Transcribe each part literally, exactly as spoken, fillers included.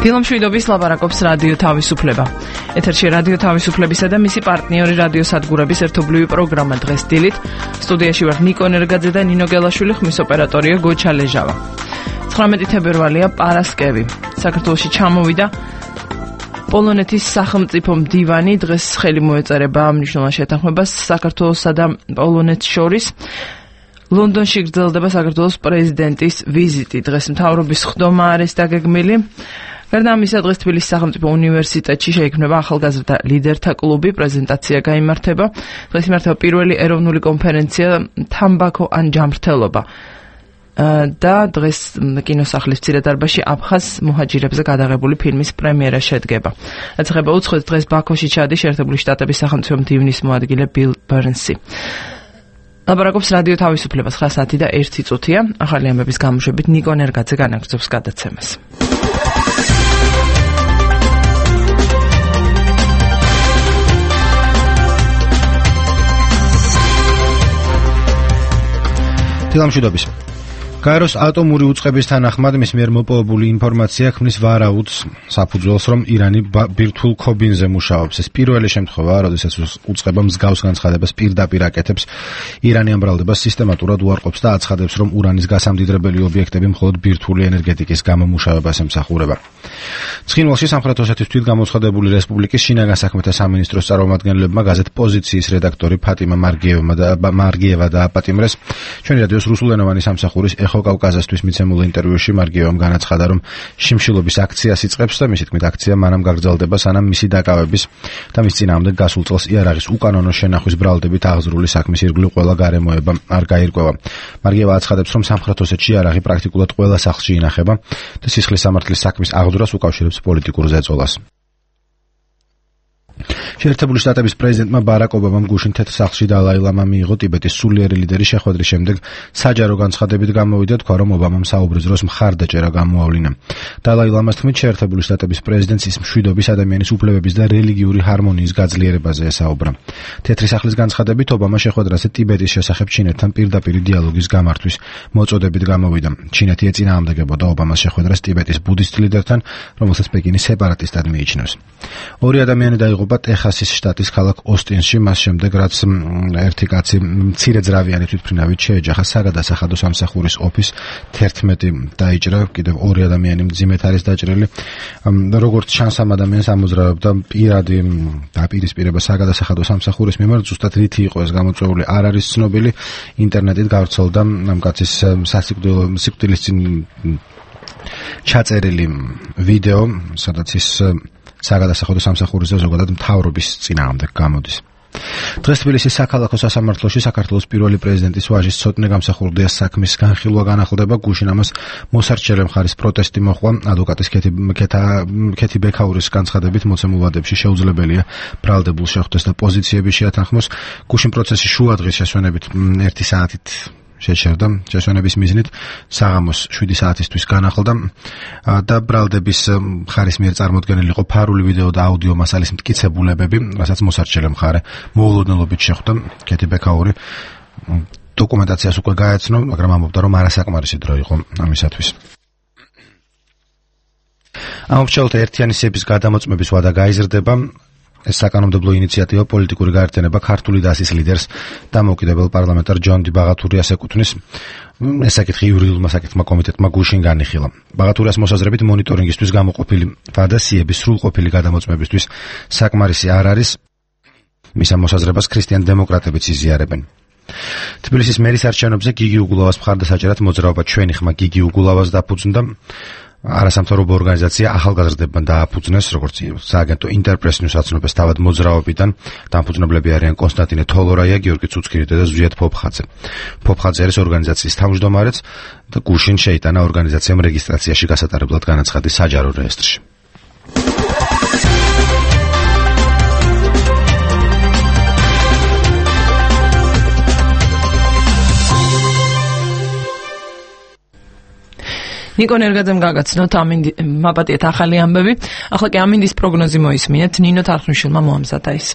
დილომშვიდობის ლაპარაკობს რადიო თავისუფლება. ეთერში რადიო თავისუფლებისა და მისი პარტნიორი რადიო სადგურების ერთობლივი პროგრამა დღეს დილით. სტუდიაში ვარ ნიკო ნერგაძე და ნინო გელაშვილი, ხმის ოპერატორია გოჩა ლეჟავა. ცხრამეტი თებერვალია, პარასკევი. საქართველოში ჩამოვიდა პოლონეთის სახელმწიფო მდივანი, დღეს ხელი მოეწერება მნიშვნელოვან შეთანხმებას საქართველოსა და პოლონეთს შორის. ლონდონში გრძელდება საქართველოს პრეზიდენტის ვიზიტი. დღეს მთავრობის ხდომა არის დაგეგმილი. გარდა ამისა, დღეს თბილისის სახელმწიფო უნივერსიტეტში შეიქმნება ახალგაზრდა ლიდერთა კლუბი, პრეზენტაცია გაიმართება. დღეს იმართება პირველი ეროვნული კონფერენცია თამბაქო ან ჯამრთელობა. და დღეს კინოსახლის მცირე დარბაზში აფხაზ მუჰაჯირებზე გადაღებული ფილმის პრემიერა შედგება. რაც ეხება უცხოეთს, დღეს ბაქოში ჩადის შეერთებული შტატების სახელმწიფო მდივნის მოადგილე ბილ ბერნსი. ლაპარაკობს რადიო თავისუფლება, ცხრა საათი და ერთი წუთია. ახალი ამბების გამოშვებით ნიკო ნერგაძე განაგრძობს გადაცემას. დილამშვიდობის. გაეროს ატომური უწყების თანახმად მის მიერ მოპოვებული ინფორმაცია ქმნის ვარაუდს საფუძველს, რომ ირანი ბირთვულ ქობინზე მუშაობს. ეს პირველი შემთხვევაა, როდესაც უწყება მსგავს განცხადებას პირდაპირ აკეთებს. ირანი ამ ბრალდებას სისტემატურად უარყოფს და აცხადებს, რომ ურანის გასამდიდრებელი ობიექტები მხოლოდ ბირთვული ენერგეტიკის გამომუშავებას ემსახურება. ცხინვალში სამხრეთ ოსეთის თვითგამოცხადებული რესპუბლიკის შინაგან საქმეთა სამინისტროს წარმომადგენლებმა გაზეთ პოზიციის რედაქტორი ფატიმა მარგიევა დააპატიმრეს. ჩვენი რადიოს რუსულენოვანი სამსახურის ეხო კავკაზასთვის მიცემულ ინტერვიუში მარგიევამ განაცხადა, რომ შიმშილობის აქციას იწყებს და მისი თქმით აქცია მანამ გაგრძელდება, სანამ მისი დაკავების და მის წინააღმდეგ გასულ წელს იარაღის უკანონო შენახვის ბრალდებით აღზრული საქმის ირგვლივ ყველა გარემოება არ გაირკვევა. მარგიევა აცხადებს, რომ სამხრეთ ოსეთში იარაღი პრაქტიკულად ყველა სახლში ინახება და სისხლის სამართლის საქმის აღძვრას უკავშირებს პოლიტიკურ ზეწოლას. შეერთებული შტატების პრეზიდენტმა ბარაკ ობამამ გუშინ თეთრ სახლში დალაი ლამამ მიიღო ტიბეტის სულიერი ლიდერის შეხვედრის შემდეგ საჯარო განცხადებით გამოვიდა, თქვა, რომ ობამამ საუბრის დროს მხარდაჭერა გამოავლინა. დალაი ლამას თქმით, შეერთებული შტატების პრეზიდენტს ის მშვიდობის, ადამიანის უფლებების და რელიგიური ჰარმონიის გაძლიერებაზე ესაუბრა. თეთრი სახლის განცხადებით ობამა შეხვედრაზე ტიბეტის შესახებ ჩინეთთან პირდაპირ დიალოგის გამართვის მოწოდებით გამოვიდა. ჩინეთი ეწინააღმდეგებოდა ობამას შეხვედრას ტიბეტის ბუდისტ ლიდერთან, რომელსაც პეკინი სეპარატისტად მიიჩნევს. ორი ადამიანი დაიღუპა ტეხასის შტატის ქალაქ ოსტინში, მას შემდეგ, რაც ერთი კაცი მცირეძრავიანი თვითმფრინავით შეეჯახა საგადასახადო სამსახურის ოფისს, თერთმეტი დაიჭრა, კიდევ ორი ადამიანი მძიმედ არის დაჭრილი. როგორც ჩანს, ამ ადამიანს ამოძრავებდა პირადი დაპირისპირება საგადასახადო სამსახურის მიმართ, ზუსტად რითი იყო ეს გამოწვეული არ არის ცნობილი. ინტერნეტით გავრცელდა ამ კაცის სიკვდილის წინ ჩაწერილი ვიდეო, სადაც ის საგადასახადო სამსახურზე ზოგადად მთავრობის წინააღმდეგ გამოდის. დღეს თბილისის საქალაქო სასამართლოში საქართველოს პირველი პრეზიდენტის ვაჟის ცოტნე გამსახურდია საქმის განხილვა განახლდება. გუშინ ამას მოსარჩელე მხარის პროტესტი მოჰყვა. ადვოკატის ქეთი ბექაურის განცხადებით მოცემულ ვადებში შეუძლებელია ბრალდებულ შეხვდეს და პოზიციები შეათანხმოს. გუშინ პროცესი შუა დღის შესვენებით ერთი საათით შეჩერდა. შესვენების მიზნით საღამოს შვიდი საათისთვის განახლდა და ბრალდების მხარის მიერ წარმოდგენილი იყო ფარული ვიდეო და აუდიო მასალის მტკიცებულებები, რასაც მოსარჩელე მხარე მოულოდნელობით შეხვდა. ქეთი ბექაური დოკუმენტაციას უკვე გაეცნო, მაგრამ ამბობდა, რომ არასაკმარისი დრო იყო ამისათვის. ამორჩეულთა ერთიანი სიების გადამოწმების ვადა გაიზრდება. ეს საკანონმდებლო ინიციატივა პოლიტიკური გაერთიანება ქართული დასის ლიდერს დამოუკიდებელ პარლამენტარ ჯონ დი ბაღათურიას ეკუთვნის. ეს საკითხი იურიდიულმა საკითხმა კომიტეტმა გუშინ განიხილა. ბაღათურიას მოსაზრებით მონიტორინგისთვის გამოყოფილი ვადა სიების სრულყოფილი გადამოწმებისთვის საკმარისი არ არის. მის ამ მოსაზრებას ქრისტიან დემოკრატებიც იზიარებენ. თბილისის მერის არჩევნებზე გიგი უგულავას მხარდასაჭერად მოძრაობა ჩვენი ხმა გიგი უგულავას დაფუძნდა. არასამთავრობო ორგანიზაცია ახალგაზრდებმა დააფუძნეს, როგორც სააგენტო ინტერპრეს ნიუს აცნობს თავად მოძრაობიდან. დამფუძნებლები არიან კონსტანტინე თოლორაია, გიორგი ცუცქირიძე და ზვიად ფოფხაძე. ფოფხაძე არის ორგანიზაციის თავმჯდომარეც და გუშინ შეიტანა ორგანიზაციამ რეგისტრაციაში გასატარებლად განაცხადი საჯარო რეესტრში. ნიკო ნერგაძემ გაგაცნოთ ამინდი მაპატიეთ ახალი ამბები. ახლა კი ამინდის პროგნოზი მოისმინეთ. ნინო თარხნიშვილმა მოამზადა ის.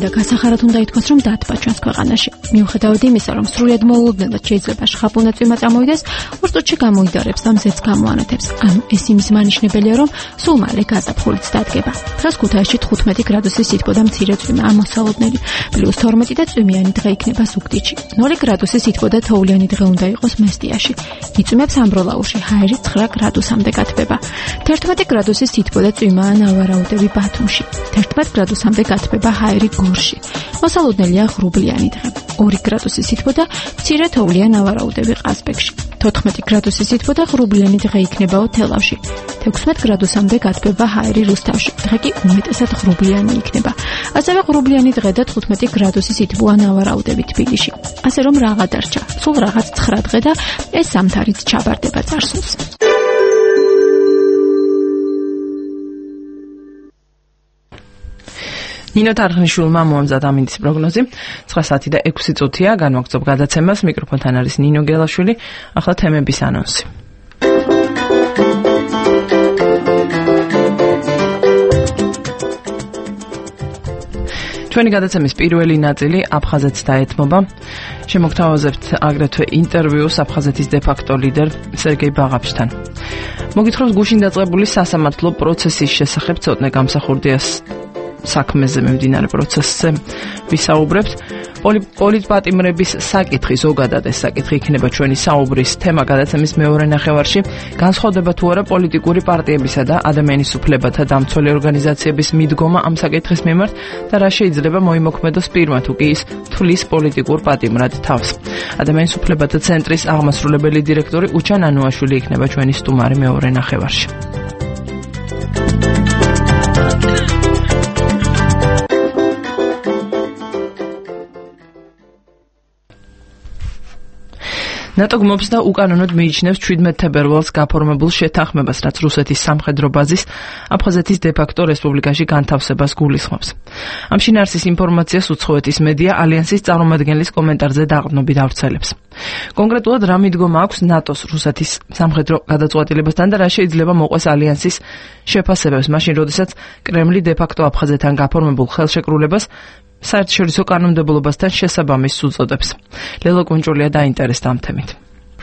წმინდა გასახარად უნდა ითქვას, რომ დათბა ჩვენს ქვეყანაში. მიუხედავად იმისა, რომ სრულიად მოულოდნელად შეიძლება შხაპუნა წვიმა წამოვიდეს, ორ წუთში გამოიდარებს და მზეც გამოანათებს. ანუ ეს იმის მანიშნებელია, რომ სულ მალე გაზაფხულიც დადგება. დღეს ქუთაისში თხუთმეტი გრადუსის სითბო და მცირე წვიმა ამოსალოდნელი, პლუს თორმეტი და წვიმიანი დღე იქნება ზუგდიდში. ნული გრადუსის სითბო და თოვლიანი დღე უნდა იყოს მესტიაში. იწვიმებს ამბროლაურში, ჰაერი ცხრა გრადუსამდე გათბება. თერთმეტი გრადუსის სითბო და წვიმაა ნავარაუდები ბათუმში. თერთმეტ გრადუსამდე გათბება ჰაერი გორში. მოსალოდნელია ღრუბლიანი დღე. ორი გრადუსის სითბო და მცირე თოვლიან ნავარაუდები ყაზბეგში. თოთხმეტი გრადუსის სითბო და ღრუბლიანი დღე იქნებაო თელავში. თექვსმეტ გრადუსამდე გათბება ჰაერი რუსთავში. დღე კი უმეტესად ღრუბლიანი იქნება. ასევე ღრუბლიანი დღე და თხუთმეტი გრადუსის სითბოა ნავარაუდები თბილისში. ასე რომ რაღა დარჩა. სულ რაღაც ცხრა დღე და ეს სამთარიც ჩაბარდება წარსულს. ნინო თარხნიშვილმა მოამზადა ამინდის პროგნოზი. ცხრა საათი და ექვსი წუთია განვაგრძობ გადაცემას. მიკროფონთან არის ნინო გელაშვილი. ახლა თემების ანონსი. ჩვენი გადაცემის პირველი ნაწილი აფხაზეთს დაეთმობა. შემოგთავაზებთ აგრეთვე ინტერვიუს აფხაზეთის დე-ფაქტო ლიდერ სერგეი ბაღაფშთან. მოგითხრობს გუშინ დაწყებული სასამართლო პროცესის შესახებ ცოტნე გამსახურდიას საქმეზე მიმდინარე პროცესზე ვისაუბრებთ. პოლიტპატიმრების საკითხი, ზოგადად ეს საკითხი იქნება ჩვენი საუბრის თემა გადაცემის მეორე ნახევარში. განსხვავდება თუ არა პოლიტიკური პარტიებისა და ადამიანის უფლებათა დამცველი ორგანიზაციების მიდგომა ამ საკითხის მიმართ და რა შეიძლება მოიმოქმედოს პირმა თუ კი ის თვლის პოლიტიკურ პატიმრად თავს. ადამიანის უფლებათა ცენტრის აღმასრულებელი დირექტორი უჩან ანუაშვილი იქნება ჩვენი სტუმარი მეორე ნახევარში. ნატო გმობს და უკანონოდ მიიჩნევს შვიდმეტ თებერვალს გაფორმებულ შეთანხმებას, რაც რუსეთის სამხედრო ბაზის აფხაზეთის დე-ფაქტო რესპუბლიკაში განთავსებას გულისხმობს. ამ შინაარსის ინფორმაციას უცხოეთის მედია ალიანსის წარმომადგენლის კომენტარზე დაყრდნობით ავრცელებს. კონკრეტულად რა მიდგომა აქვს ნატოს რუსეთის სამხედრო გადაწყვეტილებასთან და რა შეიძლება მოყვეს ალიანსის შეფასებებს, მაშინ როდესაც კრემლი დე-ფაქტო აფხაზეთთან გაფორმებულ ხელშეკრულებას საერთაშორისო კანონმდებლობასთან შესაბამისს უწოდებს. ლელო კუნჭულია დაინტერესდა ამ თემით.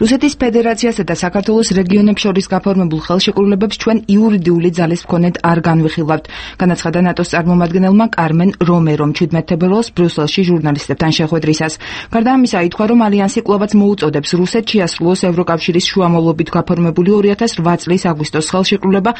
რუსეთის ფედერაციასა და საქართველოს რეგიონებს შორის გაფორმებულ ხელშეკრულებებს ჩვენ იურიდიული ძალის მქონედ არ განვიხილავთ, განაცხადა ნატოს წარმომადგენელმა კარმენ რომერომ შვიდმეტ თებერვალს ბრიუსელში ჟურნალისტებთან შეხვედრისას. გარდა ამისა, ითქვა, რომ ალიანსი კვლავაც მოუწოდებს რუსეთს შეასრულოს ევროკავშირის შუამავლობით გაფორმებული ორი ათას რვა წლის აგვისტოს ხელშეკრულება,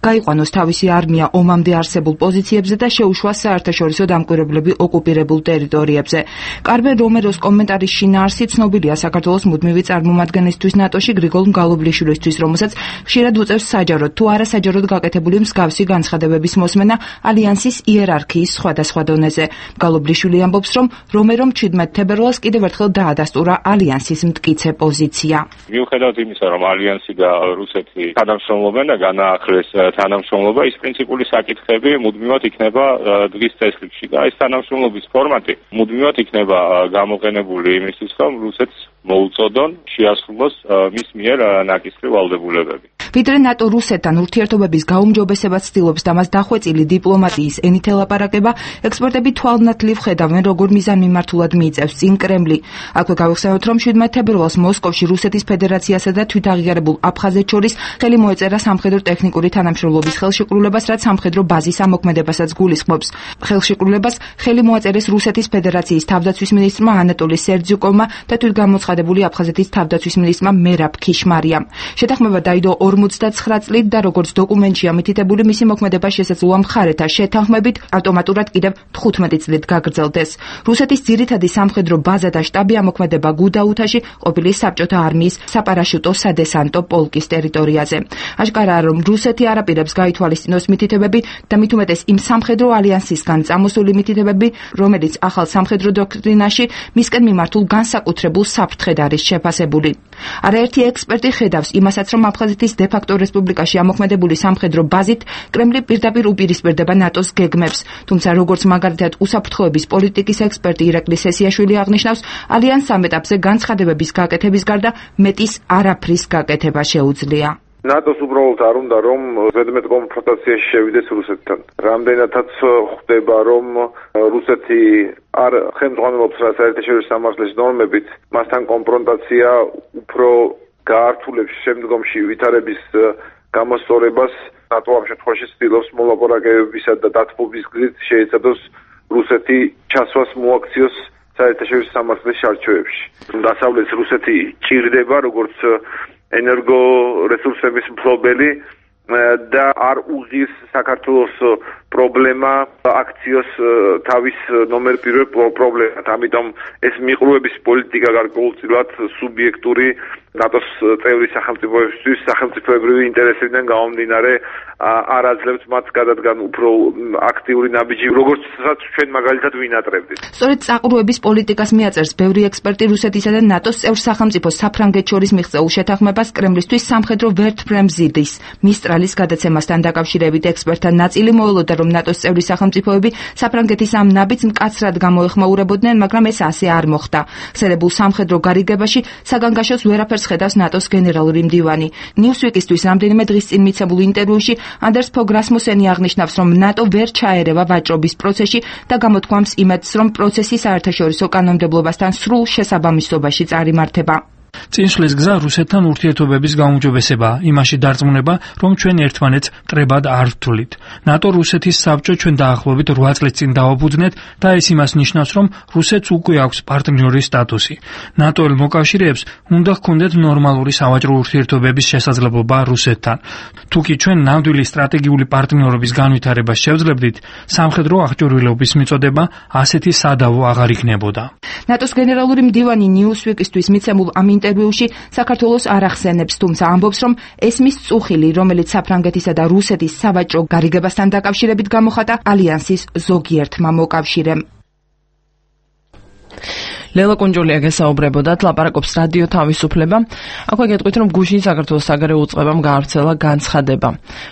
გაიყვანოს თავისი არმია ომამდე არსებულ პოზიციებზე და შეუშვას საერთაშორისო დამკვირვებლები ოკუპირებულ ტერიტორიებზე. კარმენ რომეროს კომენტარის შინაარსი ცნობილია საქართველოს მუდმივი წარმომადგენლისთვის ნატოში გრიგოლ მგალობლიშვილისთვის, რომელსაც ხშირად უწევს საჯაროდ თუ არა საჯაროდ გაკეთებული მსგავსი განცხადებების მოსმენა ალიანსის იერარქიის სხვადასხვა დონეზე. მგალობლიშვილი ამბობს, რომ რომერომ შვიდმეტ თებერვალს კიდევ ერთხელ დაადასტურა ალიანსის მტკიცე პოზიცია. მიუხედავად იმისა, რომ ალიანსი და რუსეთი თანამშრომლობენ და განაახლეს თანამშრომლობა, ის პრინციპული საკითხები მუდმივად იქნება დღის წესრიგში და ეს თანამშრომლობის ფორმატი მუდმივად იქნება გამოყენებული იმისთვის, რომ რუსეთს მოუწოდონ შეასრულოს მის მიერ ნაკისრი ვალდებულებები. ვიდრე ნატო რუსეთთან ურთიერთობების გაუმჯობესებას ცდილობს და მას დახვეწილი დიპლომატიის ენით ელაპარაკება, ექსპერტები თვალნათლივ ხედავენ, როგორ მიზანმიმართულად მიიწევს წინ კრემლი. აქვე გავიხსენოთ, რომ შვიდმეტ თებერვალს მოსკოვში რუსეთის ფედერაციასა და თვითაღიარებულ აფხაზეთს შორის ხელი მოეწერა სამხედრო ტექნიკური თანამშრომლობის ხელშეკრულებას, რაც სამხედრო ბაზის ამოქმედებასაც გულისხმობს. ხელშეკრულებას ხელი მოაწერეს რუსეთის ფედერაციის თავდაცვის მინისტრმა ანატოლი სერძიუკოვმა და თვითგამოცხადებული აფხაზეთის თავდაცვის მინისტრმა მერაბ ქიშმარიამ. შეთანხმება დაიდო ორმოცდაცხრა წლით და როგორც დოკუმენტშია მითითებული, მისი მოქმედება შესაძლოა მხარეთა შეთანხმებით ავტომატურად კიდევ თხუთმეტი წლით გაგრძელდეს. რუსეთის ძირითადი სამხედრო ბაზა და შტაბი ამოქმედება გუდაუთაში, ყოფილი საბჭოთა არმიის საპარაშუტო სადესანტო პოლკის ტერიტორიაზე. აშკარაა, რომ რუსეთი არ აპირებს გაითვალისწინოს მითითებები და მით უმეტეს იმ სამხედრო ალიანსისგან წამოსული მითითებები, რომელიც ახალ სამხედრო დოქტრინაში მისკენ მიმართულ განსაკუთრებულ საფრთხედ არის შეფასებული. არაერთი ექსპერტი ხედავს იმასაც, რომ აფხაზეთის დე-ფაქტო რესპუბლიკაში ამოქმედებული სამხედრო ბაზით კრემლი პირდაპირ უპირისპირდება ნატოს გეგმებს. თუმცა, როგორც მაგალითად უსაფრთხოების პოლიტიკის ექსპერტი ირაკლი სესიაშვილი აღნიშნავს, ალიანს ამ ეტაპზე განცხადებების გაკეთების გარდა მეტის არაფრის გაკეთება შეუძლია. ნატოს უბრალოდ არ უნდა რომ ზედმეტ კონფრონტაციაში შევიდეს რუსეთთან. რამდენადაც ხვდება რომ რუსეთი არ ხელმძღვანელობს რა საერთაშორისო სამართლის ნორმებით, მასთან კონფრონტაცია უფრო გაართულებს შემდგომში ვითარების გამოსწორებას. ნატო ამ შემთხვევაში ცდილობს მოლაპარაკებებისა და დათბობის გზით შეეცადოს რუსეთი ჩასვას მოაქციოს საერთაშორისო სამართლის შარჩოებში. დასავლეთს რუსეთი ჭირდება როგორც ენერგორესურსების მფლობელი და არ უღის საქართველოს პრობლემა აქციოს თავის ნომერ პირველ პრობლემად. ამიტომ ეს მიყრუების პოლიტიკა გარკვეულწილად სუბიექტური ნატოს წევრი სახელმწიფოებისთვის სახელმწიფოებრივი ინტერესებიდან გამომდინარე არ აძლევს მათ გადადგან უფრო აქტიური ნაბიჯი, როგორც ჩვენ მაგალითად ვინატრებდით. სწორედ წაყრუების პოლიტიკას მიაწერს ბევრი ექსპერტი რუსეთისა და ნატოს წევრ სახელმწიფოს საფრანგეთს შორის მიღწეულ შეთანხმებას კრემლისთვის სამხედრო ვერტმფრენზიდის მისტრალის გადაცემასთან დაკავშირებით ექსპერტთა ნაწილი მოელოდა, რომ ნატოს წევრი სახელმწიფოები საფრანგეთის ამ ნაბიჯს მკაცრად გამოეხმაურებოდნენ, მაგრამ ეს ასე არ მოხდა. ხსენებულ სამხედრო გარიგებაში საგანგაშოს ვერაფერს ხედავს ნატოს გენერალური მდივანი. ნიუსვიკისთვის რამდენიმე დღის წინ მიცემულ ინტერვიუში ანდერს ფოგ რასმუსენი აღნიშნავს, რომ ნატო ვერ ჩაერევა ვაჭრობის პროცესში და გამოთქვამს იმედს, რომ პროცესი საერთაშორისო კანონმდებლობასთან სრულ შესაბამისობაში წარიმართება. წინშლის გზა რუსეთთან ურთიერთობების გაუმჯობესებაა, იმაში დარწმუნება, რომ ჩვენ ერთმანეთს კრებად არ ვთვლით. ნატო რუსეთის საბჭო ჩვენ დაახლოებით რვა წლის წინ დააფუძნეთ და ეს იმას ნიშნავს, რომ რუსეთს უკვე აქვს პარტნიორის სტატუსი. ნატოელ მოკავშირეებს უნდა ჰქონდეთ ნორმალური სავაჭრო ურთიერთობების შესაძლებლობა რუსეთთან. თუკი ჩვენ ნამდვილი სტრატეგიული პარტნიორობის განვითარებას შევძლებდით, სამხედრო აღჭურვილობის მიწოდება ასეთი სადავო აღარ იქნებოდა. ნატოს გენერალური მდივანი ნიუსვიკისთვის მიცემულ ამ ინტერვიუში საქართველოს არ ახსენებს, თუმცა ამბობს, რომ ეს მის წუხილი, რომელიც საფრანგეთისა და რუსეთის სავაჭრო გარიგებასთან დაკავშირებით გამოხატა ალიანსის ზოგიერთმა მოკავშირემ. ლელა კუნჯულია გესაუბრებოდათ, ლაპარაკობს რადიო თავისუფლება. აქვე გეტყვით, რომ გუშინ საქართველოს საგარეო უწყებამ გაავრცელა განცხადება,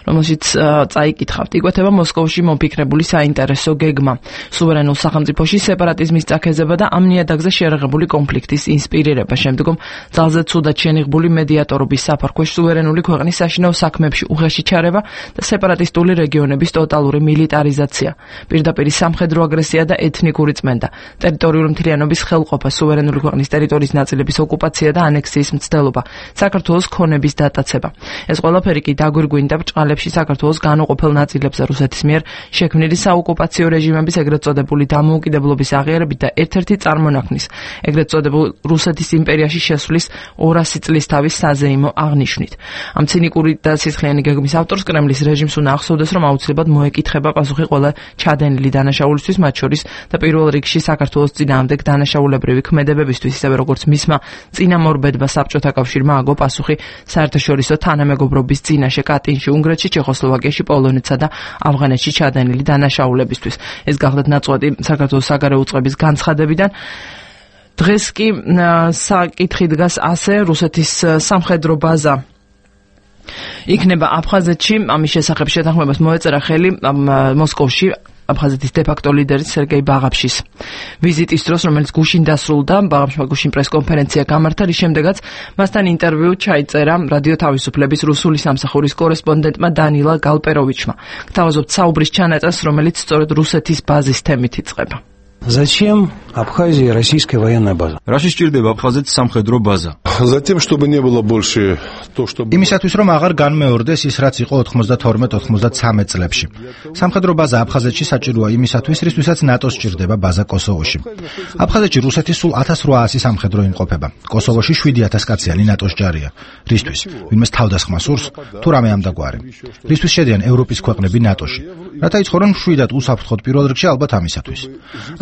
რომელშიც წაიკითხავთ, იკვეთება მოსკოვში მოფიქრებული საინტერესო გეგმა სუვერენულ სახელმწიფოში სეპარატიზმის წაქეზება და ამ ნიადაგზე შერაღებული კონფლიქტის ინსპირირება. შემდგომ ძალზე ცუდად შენიღბული მედიატორობის საფარქვეშ სუვერენული ქვეყნის საშინაო საქმეებში უხეში ჩარევა და სეპარატისტული რეგიონების ტოტალური მილიტარიზაცია, პირდაპირ სამხედრო აგრესია და ეთნიკური წმენდა, ტერიტორიული მთლიანობის ხელყოფა, სუვერენული ქვეყნის ტერიტორიის ნაწილების ოკუპაცია და ანექსიის მცდელობა, საქართველოს ქონების დატაცება. ეს ყველაფერი კი დაგვირგვინდა ბრჭყალებში საქართველოს განუყოფელ ნაწილებზე რუსეთის მიერ შექმნილი საოკუპაციო რეჟიმების ეგრეთ წოდებული დამოუკიდებლობის აღიარებით და ერთ-ერთი წარმონაქმნის ეგრეთ წოდებულ რუსეთის იმპერიაში შესვლის ორასი წლის თავის საზეიმო აღნიშვნით. ამ ცინიკური და სისხლიანი გეგმის ავტორს კრემლის რეჟიმს უნდა ახსოვდეს, რომ აუცილებლად მოეკითხება პასუხი ყველა ჩადენილი დანაშაულისთვის, მათ შორის და პირველ რიგში საქართველოს წინააღმდეგ დანაშაულებრივი ქმედებებისთვის, ისევე როგორც მისმა წინამორბედმა საბჭოთა კავშირმა აგო პასუხი საერთაშორისო თანამეგობრობის წინაშე კატინში, უნგრეთში, ჩეხოსლოვაკიაში, პოლონეთსა და ავღანეთში ჩადენილი დანაშაულებისთვის. ეს გახლდათ ნაწყვეტი საქართველოს საგარეო უწყების განცხადებიდან. დღეს კი საკითხი დგას ასე, რუსეთის სამხედრო ბაზა იქნება აფხაზეთში, ამის შესახებ შეთანხმებას მოეწერა ხელი მოსკოვში აფხაზეთის დე-ფაქტო ლიდერის სერგეი ბაღაფშის ვიზიტის დროს, რომელიც გუშინ დასრულდა. ბაღაფშმა გუშინ პრესკონფერენცია გამართა, რის შემდეგაც მასთან ინტერვიუ ჩაიწერა რადიო თავისუფლების რუსული სამსახურის კორესპონდენტმა დანილა გალპეროვიჩმა. გთავაზობთ საუბრის ჩანაწერს, რომელიც სწორედ რუსეთის ბაზის თემით იწყება. Зачем Абхазии российская военная база? Რაში სჭირდება აფხაზეთს სამხედრო ბაზა? Затем, чтобы не было больше то, что იმისათვის, რომ აღარ განმეორდეს ის, რაც იყო ოთხმოცდათორმეტ ოცდამეცხრე წლებში. სამხედრო ბაზა აფხაზეთში საჭიროა იმისათვის, რისთვისაც ნატოს სჭირდება ბაზა კოსოვოში. აფხაზეთში რუსეთის სულ ათას რვაასი სამხედრო იმყოფება. კოსოვოში შვიდი ათას კაციანი ნატოს ჯარია. რისთვის? ვინმეს თავდასხმა სურს, თუ რამე ამდაგვარი. რისთვის შედიან ევროპის ქვეყნები ნატოში? რათა იცხოვრონ მშვიდად უსაფრთხოდ პირველ რიგში ალბათ ამისათვის.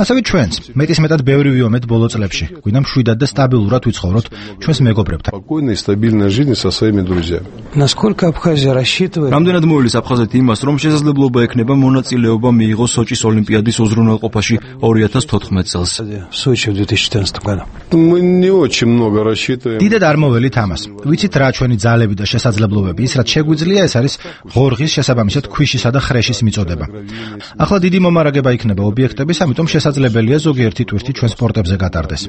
ასევე ჩვენც, მეტისმეტად ბევრი ვიომეთ ბოლო წლებში. გვინდა მშვიდად და სტაბილურად ვიცხოვროთ ჩვენს მეგობრებთან. Спокойная и стабильная жизнь со своими друзьями. Насколько Абхазия рассчитывает? Რამდენად მოილის აფხაზეთი იმას, რომ შესაძლებლობა ექნება მონაწილეობა მიიღოს სოჭის ოლიმპიადის უზრუნველყოფაში ორი ათას თოთხმეტ წელს. В Сочи в две тысячи четырнадцатом году. Мы не очень много рассчитываем. დიდად არ მოველით ამას. ვიცით რა ჩვენი ძალები და შესაძლებლობები, ის რაც შეგვიძლია, ეს არის ღორღის შესაბამისად ქვიშისა და ხრეშის მიწოდება. ეწოდება. ახლა დიდი მომარაგება იქნება ობიექტების, ამიტომ შესაძლებელია ზოგიერთი ტვირთი ჩვენს პორტებზე გატარდეს.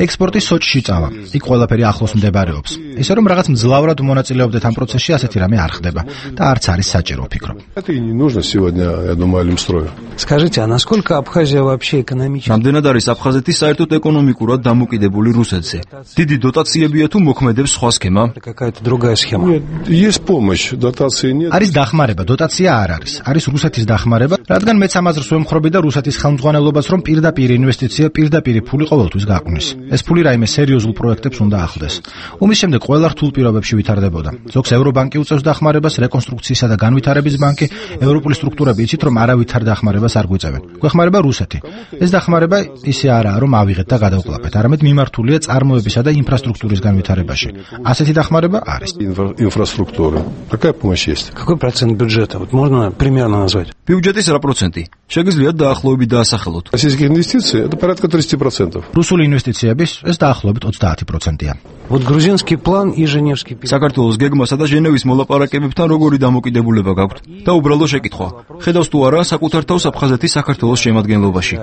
ექსპორტი სოჭში წავა. იქ ყველაფერი ახლოს მდებარეობს. ისე რომ რაღაც მძლავრად მონაწილეობდეთ ამ პროცესში, ასეთი რამე არ ხდება და არც არის საჭირო ვფიქრობ. Это и не нужно сегодня, я думаю, Алимстрою. Скажите, а насколько Абхазия вообще экономически? რამდენად არის აფხაზეთი საერთოდ ეკონომიკურად დამოკიდებული რუსეთზე? დიდი დოტაციებია თუ მოქმედებს სხვა სქემა? Какая-то другая схема. Нет, есть помощь, дотации нет. არის დახმარება, დოტაცია არ არის. არის რუსეთის დახმარება, რადგან მეც ამაზრს ვემხრობი და რუსეთის ხელმძღვანელობას, რომ პირდაპირ ინვესტიცია, პირდაპირ ფული ყოველთვის გაყვნის. ეს ფული რაიმე სერიოზულ პროექტებს უნდა ახლდეს. ომის შემდეგ ყველა რთულ პირობებში ვითარდებოდა. ზოგს ევრობანკი უწევს დახმარებას, რეკონსტრუქციისა და განვითარების ბანკი, ევროპული სტრუქტურები იცით, რომ არავითარ დახმარებას არ გვიწევენ. გვეხმარება რუსეთი. ეს დახმარება ისე არაა, რომ ავიღეთ და გადავყლაპეთ, არამედ მიმართულია წარმოებისა და ინფრასტრუქტურის განვითარებაში. ასეთი დახმარება არის. Инфраструктура. Какая помощь есть? Какой процент бюджета? Вот можно примерно назвать? ბიუჯეტის რა პროცენტი? შეგიძლიათ დაახლოებით დაასახელოთ. Российские инвестиции это порядка тридцать процентов. რუსული ინვესტიციების ეს დაახლოებით ოცდაათი პროცენტია. Вот грузинский план и Женевский переговоры. საქართველოს გეგმასა და ჟენევის მოლაპარაკებებთან როგორი დამოკიდებულება გაქვთ? და უბრალო შეკითხვა. ხედავს თუ არა საკუთარ თავს აფხაზეთის საქართველოს შემადგენლობაში?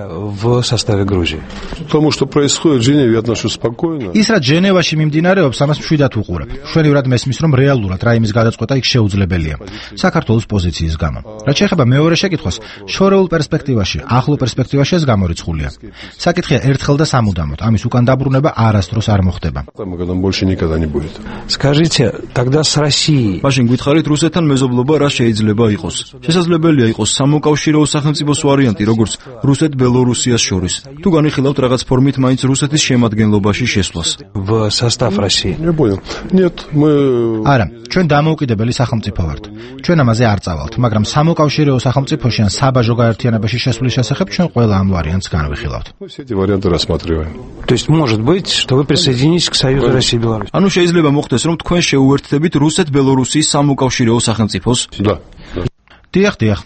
В составе Грузии. Тому, что происходит в Женеве, я отношусь спокойно. ის რაც ჟენევაში მიმდინარეობს, ამას მშვიდად უყურებ. მშვენივრად მესმის, რომ რეალურად რაიმის გადაწყვეტა იქ შეუძლებელია. საქართველოს პოზიციის გამო. რაც შეეხება მეორე შეკითხვას, შორეულ პერსპექტივაში, ახლო პერსპექტივაში ეს გამორიცხულია. საკითხია ერთხელ და სამუდამოდ, ამის უკან დაბრუნება არასდროს არ მოხდება. Там когда больше никогда не будет. Скажите, тогда с Россией. მაშინ გითხარით რუსეთთან მეზობლობა რა შეიძლება იყოს? შესაძლებელია იყოს სამოკავშირეო სახელმწიფოს ვარიანტი, როგორც რუსეთ-ბელორუსიას შორის. თუ განიხილავთ რაღაც ფორმით მაინც რუსეთის შემადგენლობაში შესვლას. В состав России. Я понял. Нет, мы არა, ჩვენ დამოუკიდებელი სახელმწიფო ვართ. ჩვენ ამაზე არ წავალთ, მაგრამ სამოკავშირეო სახელმწიფოში ან საბაჟო გაერთიანებაში შესვლის შესახებ ჩვენ ყველა ამ ვარიანტს განვიხილავთ. мы все эти варианты рассматриваем. То есть может быть, что вы присоединитесь к Союзу России и Беларуси. ანუ შეიძლება მოხდეს, რომ თქვენ შეუერთდებით რუსეთ-ბელორუსიის სამოკავშირეო სახელმწიფოს? Да. დიახ, დიახ.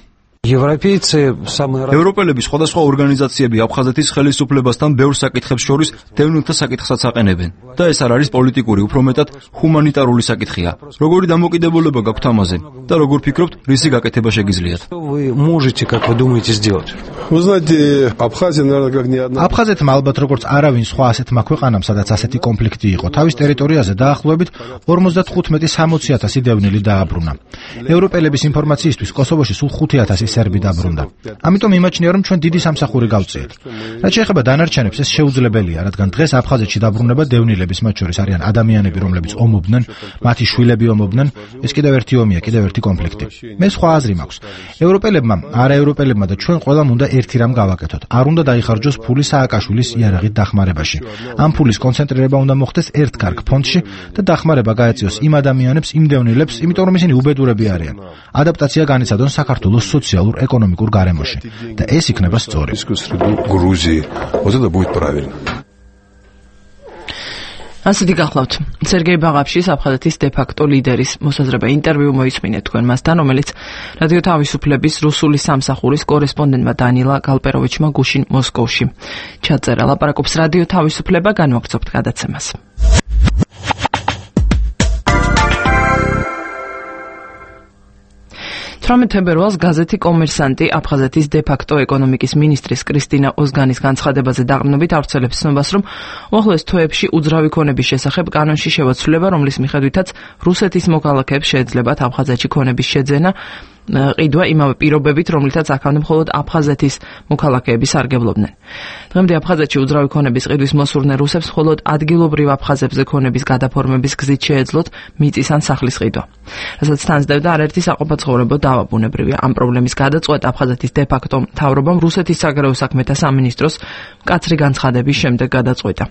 Европейцы самые разные. ევროპელები სხვადასხვა ორგანიზაციები აფხაზეთის ხელისუფლებასთან ბევრ საკითხებს შორის დევნილთა საკითხსაც აყენებენ. და ეს არ არის პოლიტიკური, უფრო მეტად ჰუმანიტარული საკითხია. როგორი დამოკიდებულება გაქვთ ამაზე და როგორ ფიქრობთ, რისი გაკეთება შეგიძლიათ? Вы можете, как вы думаете, сделать? Вы знаете, Абхазия, наверное, как ни одна. აფხაზეთმა ალბათ როგორც არავინ სხვა ასეთმა ქვეყანამ, სადაც ასეთი კონფლიქტი იყო, თავის ტერიტორიაზე დაახლოებით ორმოცდათხუთმეტი სამოცი ათასი დევნილი დააბრუნა. ევროპელების ინფორმაციისთვის კოსოვოში სულ ხუთი ათასი სერბი დაბრუნდა. ამიტომ იმაჩნია, რომ ჩვენ დიდი სამსახური გავწიეთ. რაც შეეხება დანარჩენებს, ეს შეუძლებელია, რადგან დღეს აფხაზეთში დაბრუნება დევნილების, მათ შორის არიან ადამიანები, რომლებიც ომობდნენ, მათი შვილები ომობდნენ, ეს კიდევ ერთი ომია, კიდევ ერთი კონფლიქტი. მე სხვა აზრი მაქვს. ევროპელებმა, არაევროპელებმა და ჩვენ ყველამ უნდა ერთი რამ გავაკეთოთ. არ უნდა დაიხარჯოს ფული სააკაშვილის იარაღით დახმარებაში. ამ ფულის კონცენტრირება უნდა მოხდეს ერთ კარგ ფონდში და დახმარება გაეწიოს იმ ადამიანებს, იმ დევნილებს, იმიტომ რომ ისინი უბედურები არიან. ადაპტაცია განიცადონ საქართველოს სოციალურ-ეკონომიკურ გარემოში და ეს იქნება სწორი. Грузии. Вот это будет правильно. ასეთი გახლავთ სერგეი ბაღაფშის აფხაზეთის დე-ფაქტო ლიდერის მოსაზრება. ინტერვიუ მოისმინეთ თქვენ მასთან, რომელიც რადიო თავისუფლების რუსული სამსახურის კორესპონდენტმა დანილა გალპეროვიჩმა გუშინ მოსკოვში ჩაწერა. ლაპარაკობს რადიო თავისუფლება, განვაგრძობთ გადაცემას. თვრამეტ თებერვალს გაზეთი კომერსანტი აფხაზეთის დე-ფაქტო ეკონომიკის მინისტრის კრისტინა ოზგანის განცხადებაზე დაყრდნობით ავრცელებს ცნობას, რომ უახლოეს თვეებში უძრავი ქონების შესახებ კანონში შევაცვლება, რომლის მიხედვითაც რუსეთის მოქალაქეებს შეეძლებათ აფხაზეთში ქონების შეძენა, ყიდვა იმავე პირობებით, რომლითაც აქამდე მხოლოდ აფხაზეთის მოქალაქეები სარგებლობდნენ. დღემდე აფხაზეთში უძრავი ქონების ყიდვის მოსურნე რუსებს მხოლოდ ადგილობრივ აფხაზებზე ქონების გადაფორმების გზით შეეძლოთ მიწის ან სახლის ყიდვა. რასაც თანსდევდა არაერთი საყოფაცხოვრებო დავა ბუნებრივია. ამ პრობლემის გადაწყვეტა აფხაზეთის დე-ფაქტო მთავრობამ რუსეთის საგარეო საქმეთა სამინისტროს მკაცრი განცხადების შემდეგ გადაწყვეტა.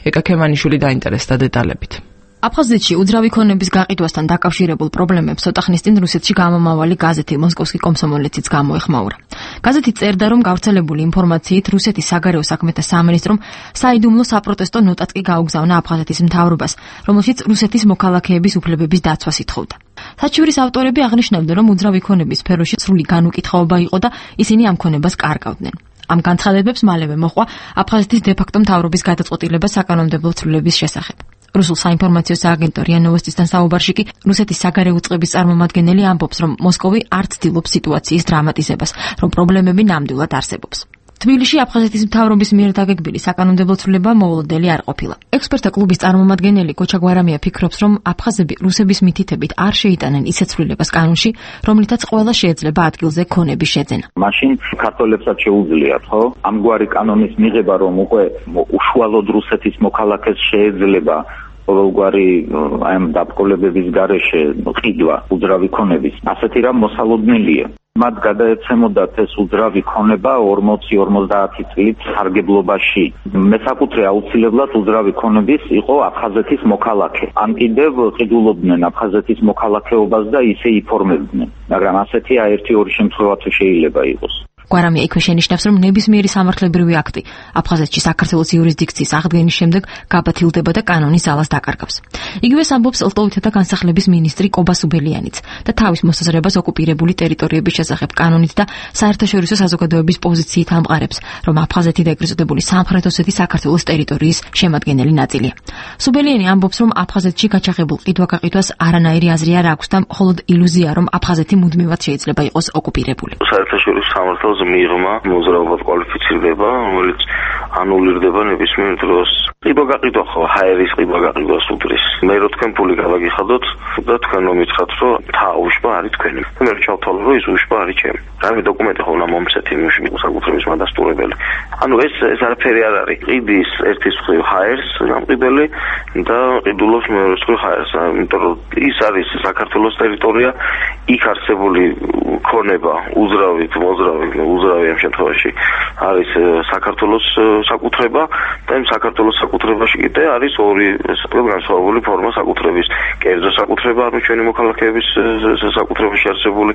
ეკა ქემანიშვილი დაინტერესდა დეტალებით. აფხაზეთში უძრავი ქონების გაყიდვასთან დაკავშირებულ პრობლემებს ცოტა ხნის წინ რუსეთში გამომავალი გაზეთი მოსკოვსკი კომსომოლეციც გამოეხმაურა. გაზეთი წერდა, რომ გავრცელებული ინფორმაციით რუსეთის საგარეო საქმეთა სამინისტრომ საიდუმლო საპროტესტო ნოტაც კი გაუგზავნა აფხაზეთის მთავრობას, რომელშიც რუსეთის მოქალაქეების უფლებების დაცვას ითხოვდა. საჩივრის ავტორები აღნიშნავდნენ, რომ უძრავი ქონების სფეროში სრული განუკითხაობა იყო და ისინი ამ ქონებას კარგავდნენ. ამ განცხადებებს მალევე მოჰყვა აფხაზეთის დე-ფაქტო მთავრობის გადაწყვეტილება საკანონმდებლო ცვლილების შესახებ. რუსულ საინფორმაციო სააგენტო რია ნოვოსტისთან საუბარში კი რუსეთის საგარეო უწყების წარმომადგენელი ამბობს, რომ მოსკოვი არ ცდილობს სიტუაციის დრამატიზებას, რომ პრობლემები ნამდვილად არსებობს. თბილისში აფხაზეთის მთავრობის მიერ დაგეგმილი საკანონმდებლო ცვლილება მოულოდნელი არ ყოფილა. ექსპერტთა კლუბის წარმომადგენელი გოჩა გვარამია ფიქრობს, რომ აფხაზები რუსების მითითებით არ შეიტანენ ისეთ ცვლილებას კანონში, რომლითაც ყველა შეიძლება ადგილზე ქონების შეძენა. მაშინ ქართველებსაც შეუძლიათ, ხო? ამგვარი კანონის მიღება, რომ უკვე უშუალოდ რუსეთის მოქალაქეს შეეძლება ყოველგვარი აი ამ დაბრძოლებების გარეშე ყიდვა უძრავი ქონების, ასეთი რამ მოსალოდნელია. მათ გადაეცემოდათ ეს უძრავი ქონება ორმოცი ორმოცდაათი წლით სარგებლობაში. მესაკუთრე აუცილებლად უძრავი ქონების იყო აფხაზეთის მოქალაქე. ან კიდევ ყიდულობდნენ აფხაზეთის მოქალაქეობას და ისე იფორმებდნენ. მაგრამ ასეთი ერთი ორი შემთხვევა თუ შეიძლება იყოს. გვარამია იქვე შენიშნავს, რომ ნებისმიერი სამართლებრივი აქტი აფხაზეთში საქართველოს იურისდიქციის აღდგენის შემდეგ გაბათილდება და კანონის ძალას დაკარგავს. იგივეს ამბობს ლტოვითათა განსახლების მინისტრი კობა სუბელიანიც და თავის მოსაზრებას ოკუპირებული ტერიტორიების შესახებ კანონით და საერთაშორისო საზოგადოების პოზიციით ამყარებს, რომ აფხაზეთი და ეგრეთ წოდებული სამხრეთ ოსეთი საქართველოს ტერიტორიის შემადგენელი ნაწილია. სუბელიანი ამბობს, რომ აფხაზეთში გაჩაღებულ ყიდვა-გაყიდვას არანაირი აზრი არ აქვს და მხოლოდ ილუზია, რომ აფხაზეთი მუდმივად შეიძლება იყოს ოკუპირებული. საერთაშორისო სამართლის მიღმა მოძრაობად კვალიფიცირდება, რომელიც ანულირდება ნებისმიერ დროს. ყიდვა-გაყიდვა ხო ჰაერის ყიდვა-გაყიდვას უდრის. მე რო თქვენ ფული გავაგიხადოთ და თქვენ მომიცხათ, რომ თა უშბა არის თქვენი. მე ჩავთვალო, რომ ის უშბა არის ჩემი. რამე დოკუმენტი ხო უნდა მომცეთ იმ საკუთრების მადასტურებელი. ანუ ეს ეს არაფერი არ არის. ყიდის ერთის მხრივ ჰაერს გამყიდველი და ყიდულობს მეორეს მხრივ ჰაერს. იმიტომ რომ ის არის საქართველოს ტერიტორია, იქ არსებული ქონება უძრავით მოძრავით უძრავი ამ შემთხვევაში არის საქართველოს საკუთრება და იმ საქართველოს საკუთრებაში კიდე არის ორი განსხვავებული ფორმა საკუთრების. კერძო საკუთრება, ანუ ჩვენი მოქალაქეების საკუთრებაში არსებული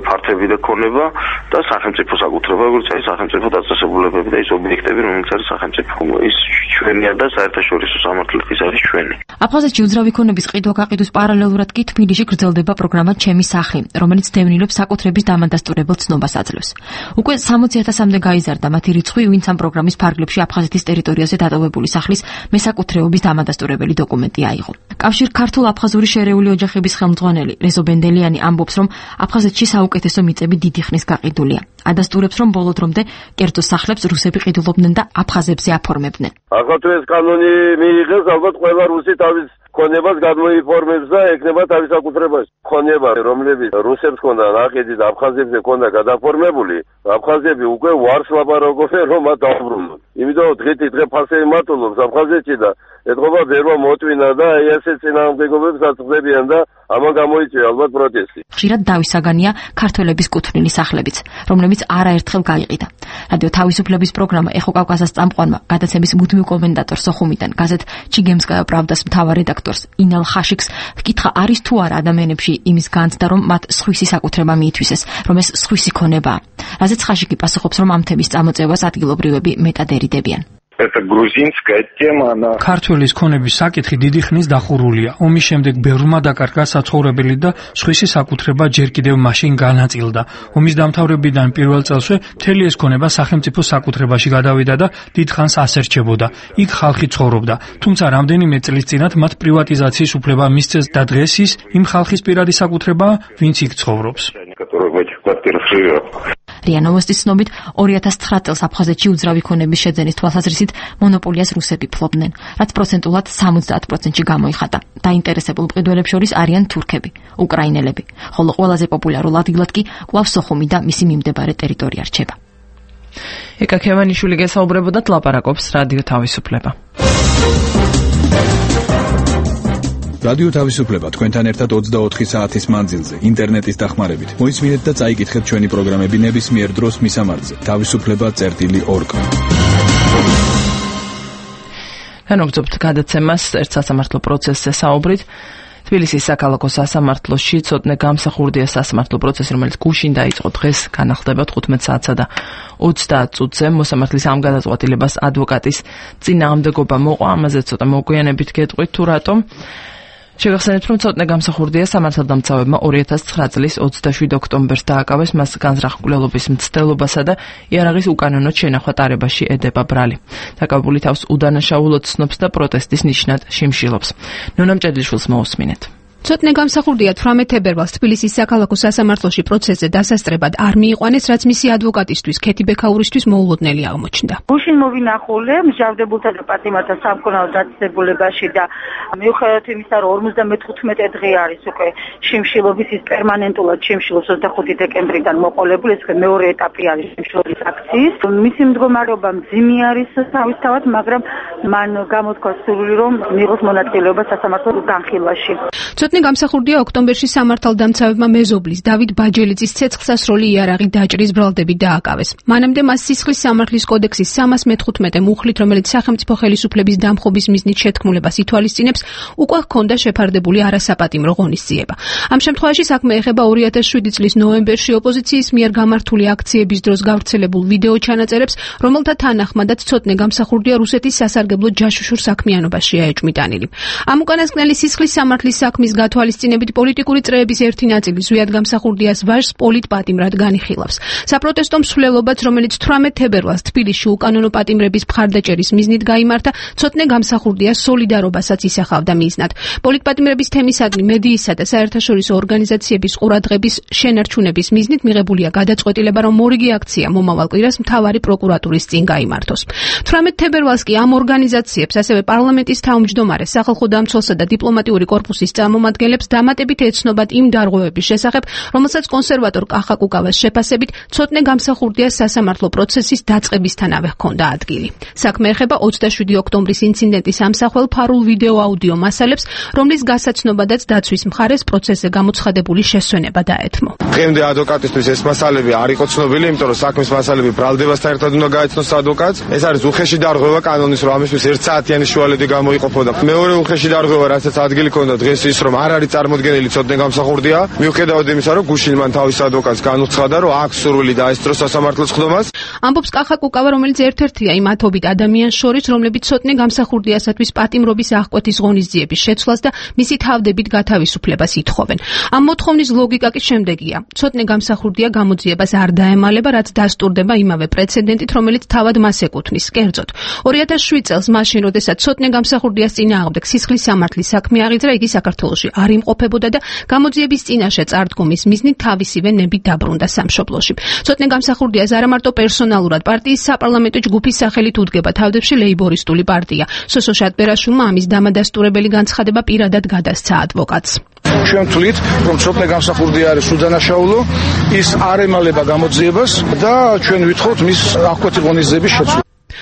ფართები და ქონება და სახელმწიფო საკუთრება, როგორც არის სახელმწიფო დაწესებულებები და ის ობიექტები, რომელიც არის სახელმწიფო. ის ჩვენია და საერთაშორისო სამართლით არის ჩვენი. აფხაზეთში უძრავი ქონების ყიდვა-გაყიდვის პარალელურად კი თბილისში გრძელდება პროგრამა ჩემი სახლი, რომელიც დევნილებს საკუთრების დამადასტურებელ ცნობას აძლევს. უკვე სამოცი ათასამდე გაიზარდა მათი რიცხვი, ვინც ამ პროგრამის ფარგლებში აფხაზეთის ტერიტორიაზე დატოვებული სახლის მესაკუთრეობის დამადასტურებელი დოკუმენტი აიღო. კავშირ ქართულ-აფხაზური შერეული ოჯახების ხელმძღვანელი რეზო ბენდელიანი ამბობს, რომ აფხაზეთში საუკეთესო მიწები დიდი ხნის გაყიდულია. ადასტურებს, რომ ბოლო დრომდე კერძო სახლებს რუსები ყიდულობდნენ და აფხაზებზე აფორმებდნენ. ახლა თუ ეს კანონი მიიღეს, ალბათ ყველა რუსი თავის ქონებას გადმოიფორმებს და ეკნება თავის საკუთრებას. ქონება, რომლებიც რუსებს ჰქონდა ნაყიდი და აფხაზებზე ჰქონდა გადაფორმებული, აფხაზები უკვე ვარს ლაპარაკობენ, რომ მათ დაუბრუნონ. იმიტომ დღითი დღე ფასები მატულობს აფხაზეთში და ეთყობა ბერვა მოტვინა და აი ესე წინააღმდეგობებს აწყდებიან და ამან გამოიწვია ალბათ პროტესტი. ხშირად დავისაგანია ქართველების კუთვნილი სახლებიც, რომლებიც არაერთხელ გაიყიდა. რადიო თავისუფლების პროგრამა ეხო კავკასიის წამყვანმა გადაცემის მუდმივ კომენტატორ სოხუმიდან გაზეთ ჩიგემსკაია პრავდას მთავარ რედაქტორს ინალ ხაშიკს ჰკითხა, არის თუ არა ადამიანებში იმის განცდა, რომ მათ სხვისი საკუთრება მიითვისეს, რომ ეს სხვისი ქონებაა. რაზეც ხაშიკი პასუხობს, რომ ამ თემის წამოწევას ადგილობრივები მეტად ერიდებიან. Это грузинская тема, она ქართველის ქონების საკითხი დიდი ხნის დახურულია. ომის შემდეგ ბევრმა დაკარგა საცხოვრებელი და სხვისი საკუთრება ჯერ კიდევ მაშინ განაწილდა. ომის დამთავრებიდან პირველ წელსვე მთელი ეს ქონება სახელმწიფო საკუთრებაში გადავიდა და დიდხანს ასერჩებოდა. იქ ხალხი ცხოვრობდა. თუმცა რამდენიმე წლის წინათ მათ პრივატიზაციის უფლება მისცეს და დღეს ის იმ ხალხის პირადი საკუთრებაა, ვინც იქ ცხოვრობს. რია ნოვოსტის ცნობით ორი ათას ცხრა წელს აფხაზეთში უძრავი ქონების შეძენის თვალსაზრისით მონოპოლიას რუსები ფლობდნენ, რაც პროცენტულად სამოცდაათ პროცენტში გამოიხატა. დაინტერესებულ მყიდველებს შორის არიან თურქები, უკრაინელები, ხოლო ყველაზე პოპულარულ ადგილად კი კვლავ სოხუმი და მისი მიმდებარე ტერიტორია რჩება. ეკა ქევანიშვილი გესაუბრებოდათ, ლაპარაკობს რადიო თავისუფლება. რადიო თავისუფლება თქვენთან ერთად ოცდაოთხი საათის მანძილზე ინტერნეტის დახმარებით. მოისმინეთ და წაიკითხეთ ჩვენი პროგრამები ნებისმიერ დროს მისამართზე თავისუფლება წერტილი ორ კა. განვაგრძობთ გადაცემას ერთ სასამართლო პროცესზე საუბრით. თბილისის საქალაქო სასამართლოში ცოტნე გამსახურდია სასამართლო პროცესი, რომელიც გუშინ დაიწყო, დღეს განახლდება თხუთმეტ საათსა და ოცდაათ წუთზე. მოსამართლის ამ გადაწყვეტილებას ადვოკატის წინააღმდეგობა მოყვა, ამაზე ცოტა მოგვიანებით გეტყვით თუ რატომ. შეგახსენებთ, რომ ცოტნე გამსახურდია სამართალდამცავებმა ორი ათას ცხრა წლის ოცდაშვიდ ოქტომბერს დააკავეს მას განზრახ-მკვლელობის მცდელობასა და იარაღის უკანონოდ შენახვა ტარებაში ედება ბრალი. დაკავებული თავს უდანაშაულოდ ცნობს და პროტესტის ნიშნად შიმშილობს. ნონა მჭედლიშვილს მოусმინეთ. ცოტნე გამსახურდია თვრამეტ თებერვალს თბილისის საქალაქო სასამართლოში პროცესზე დასასწრებად არ მიიყვანეს, რაც მისი ადვოკატისთვის ქეთი ბექაურისთვის მოულოდნელი აღმოჩნდა. გუშინ მოვინახულე მსჯავრდებულთა და პატიმართა სამკურნალო დაწესებულებაში და მიუხედავად იმისა, რომ ორმოცდამეთხუთმეტე დღე არის უკვე შიმშილობის, ის პერმანენტულად შიმშილობს ოცდახუთი დეკემბრიდან მოყოლებული, ეს მეორე ეტაპი არის შიმშილობის აქციის. მისი მდგომარეობა მძიმე არის თავისთავად, მაგრამ მან გამოთქვა სურვილი, რომ მიიღოს მონაწილეობა სასამართლო განხილვაში. ცოტნე გამსახურდია ოქტომბერში სამართალდამცავებმა მეზობლის დავით ბაჯელიძის ცეცხლსასროლი იარაღი დაჭრის ბრალდებით დააკავეს. მანამდე მას სისხლის სამართლის კოდექსის სამას მეთხუთმეტე მუხლით, რომელიც სახელმწიფო ხელისუფლების დამხობის მიზნით შეთქმულებას ითვალისწინებს, უკვე ჰქონდა შეფარდებული არასაპატიმრო ღონისძიება. ამ შემთხვევაში საქმე ეხება ორი ათას შვიდი წლის ნოემბერში ოპოზიციის მიერ გამართული აქციების დროს გავრცელებულ ვიდეო ჩანაწერებს, რომელთა თანახმადაც ცოტნე გამსახურდია რუსეთის სასარგებლო ჯაშუშურ საქმიანობაშია ეჭვმიტანილი. ამ უკანასკნელი სისხლის სამართლის საქმის გათვალისწინებით პოლიტიკური წრეების ერთი ნაწილი ზვიად გამსახურდიას ვაჟს პოლიტპატიმრად განიხილავს. საპროტესტო მსვლელობაც, რომელიც თვრამეტ თებერვალს თბილისში უკანონო პატიმრების მხარდაჭერის მიზნით გაიმართა, ცოტნე გამსახურდიას სოლიდარობასაც ისახავდა მიზნად. პოლიტპატიმრების თემისადმი მედიისა და საერთაშორისო ორგანიზაციების ყურადღების შენარჩუნების მიზნით მიღებულია გადაწყვეტილება, რომ მორიგი აქცია მომავალ კვირას მთავარი პროკურატურის წინ გაიმართოს. თვრამეტ თებერვალს კი ამ ორგანიზაციებს, ასევე პარლამენტის თავმჯდომარე, სახალხო დამცველსა და დიპლომატიური კორპუსის წარმომადგენლებს დამატებით ეცნობათ იმ დარღვევების შესახებ, რომელსაც კონსერვატორ კახა კუკავას შეფასებით ცოტნე გამსახურდიას სასამართლო პროცესის დაწყებისთანავე ჰქონდა ადგილი. საქმე ეხება ოცდაშვიდი ოქტომბრის ინციდენტის ამსახველ ფარულ ვიდეო აუდიო მასალებს, რომლის გასაცნობადაც დაცვის მხარეს პროცესზე გამოცხადებული შესვენება დაეთმო. დღემდე ადვოკატისთვის ეს მასალები არ იყო ცნობილი, იმიტომ რომ საქმის მასალები ბრალდებასთან ერთად უნდა გაეცნოს ადვოკატს. ეს არის უხეში დარღვევა კანონის, რომ ამისთვის ერთ საათიანი შუალედი გამოიყოფოდა. მეორე უხეში დარღვევა, რასაც ადგილი ჰქონდა დღეს ის, რომ არ არის წარმოდგენილი ცოტნე გამსახურდია, მიუხედავად იმისა, რომ გუშინ მან თავის ადვოკატს განუცხადა, რომ აქვს სურვილი დაესწროს სასამართლოს ხდომას. ამბობს კახა კუკავა, რომელიც ერთ-ერთია იმ ათობით ადამიანს შორის, რომლებიც ცოტნე გამსახურდიასათვის პატიმრობის აღკვეთის ღონისძიების შეცვლას და მისი თავდებით გათავისუფლებას ითხოვენ. ამ მოთხოვნის ლოგიკა კი შემდეგია. ცოტნე გამსახურდია გამოძიებას არ დაემალება, რაც დასტურდება იმავე პრეცედენტით, რომელიც თავად მას ეკუთვნის. კერძოდ, ორი ათას შვიდ წელს მაშინ, როდესაც ცოტნე გამსახურდიას წინააღმდეგ სისხლის სამართლის საქმე აღიძრა, იგი საქართველოში არ იმყოფებოდა და გამოძიების წინაშე წარდგომის მიზნით თავისივე ნებით დაბრუნდა სამშობლოში. ცოტნე გამსახურდიას არა მარტო პერსონალურად პარტიის საპარლამენტო ჯგუფის სახელით უდგება თავდებში ლეიბორისტული პარტია. სოსო შატბერაშვილმა ამის დამადასტურებელი განცხადება პირადად გადასცა ადვოკატს. ჩვენ ვთვლით, რომ ცოტნე გამსახურდია არის უდანაშაულო, ის არ ემალება გამოძიებას და ჩვენ ვითხოვთ მის აღკვეთი ღონისძიების შეცვლა.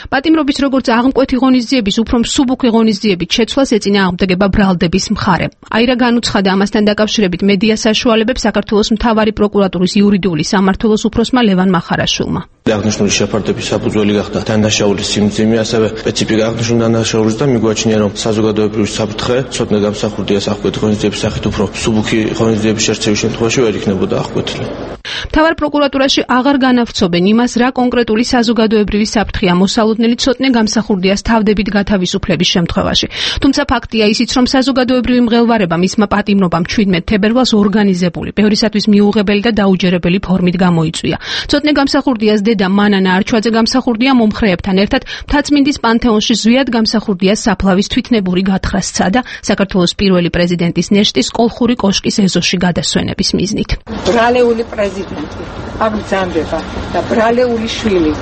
პატიმრობის როგორც აღმკვეთი ღონისძიების უფრო მსუბუქი ღონისძიებით შეცვლას ეწინააღმდეგება ბრალდების მხარე. აირა განუცხადა ამასთან დაკავშირებით მედია საშუალებებს საქართველოს მთავარი პროკურატურის იურიდიული სამმართველოს უფროსმა ლევან მახარაშვილმა. აღნიშნული შეფარდების საფუძველი გახდა დანაშაულის სიმძიმე, ასევე სპეციფიკა აღნიშნული დანაშაულის და მიგვაჩნია, რომ საზოგადოებრივი საფრთხე ცოტნე გამსახურდიას აღკვეთი ღონისძიების სახით უფრო მსუბუქი ღონისძიების შერჩევის შემთხვევაში ვერ იქნებოდა აღკვეთილი. მთავარ პროკურატურაში აღარ განავრცობენ იმას, რა კონკრეტული საზოგადოებრივი საფრთხეა მოსალოდნელი ცოტნე გამსახურდიას თავდებით გათავისუფლების შემთხვევაში. თუმცა ფაქტია ისიც, რომ საზოგადოებრივი მღელვარება მისმა პატიმრობამ შვიდმეტ თებერვალს ორგანიზებული, ბევრისათვის მიუღებელი და დაუჯერებელი ფორმით გამოიწვია. ცოტნე გამსახურდიას და მანანა არჩვაძე გამსახურდია მომხრეებთან ერთად მთაწმინდის პანთეონში ზვიად გამსახურდიას საფლავის თვითნებური გათხრა სცადა საქართველოს პირველი პრეზიდენტის ნეშტის კოლხური კოშკის ეზოში გადასვენების მიზნით. ბრალეული პრეზიდენტი აგზამდება და ბრალეული შვილი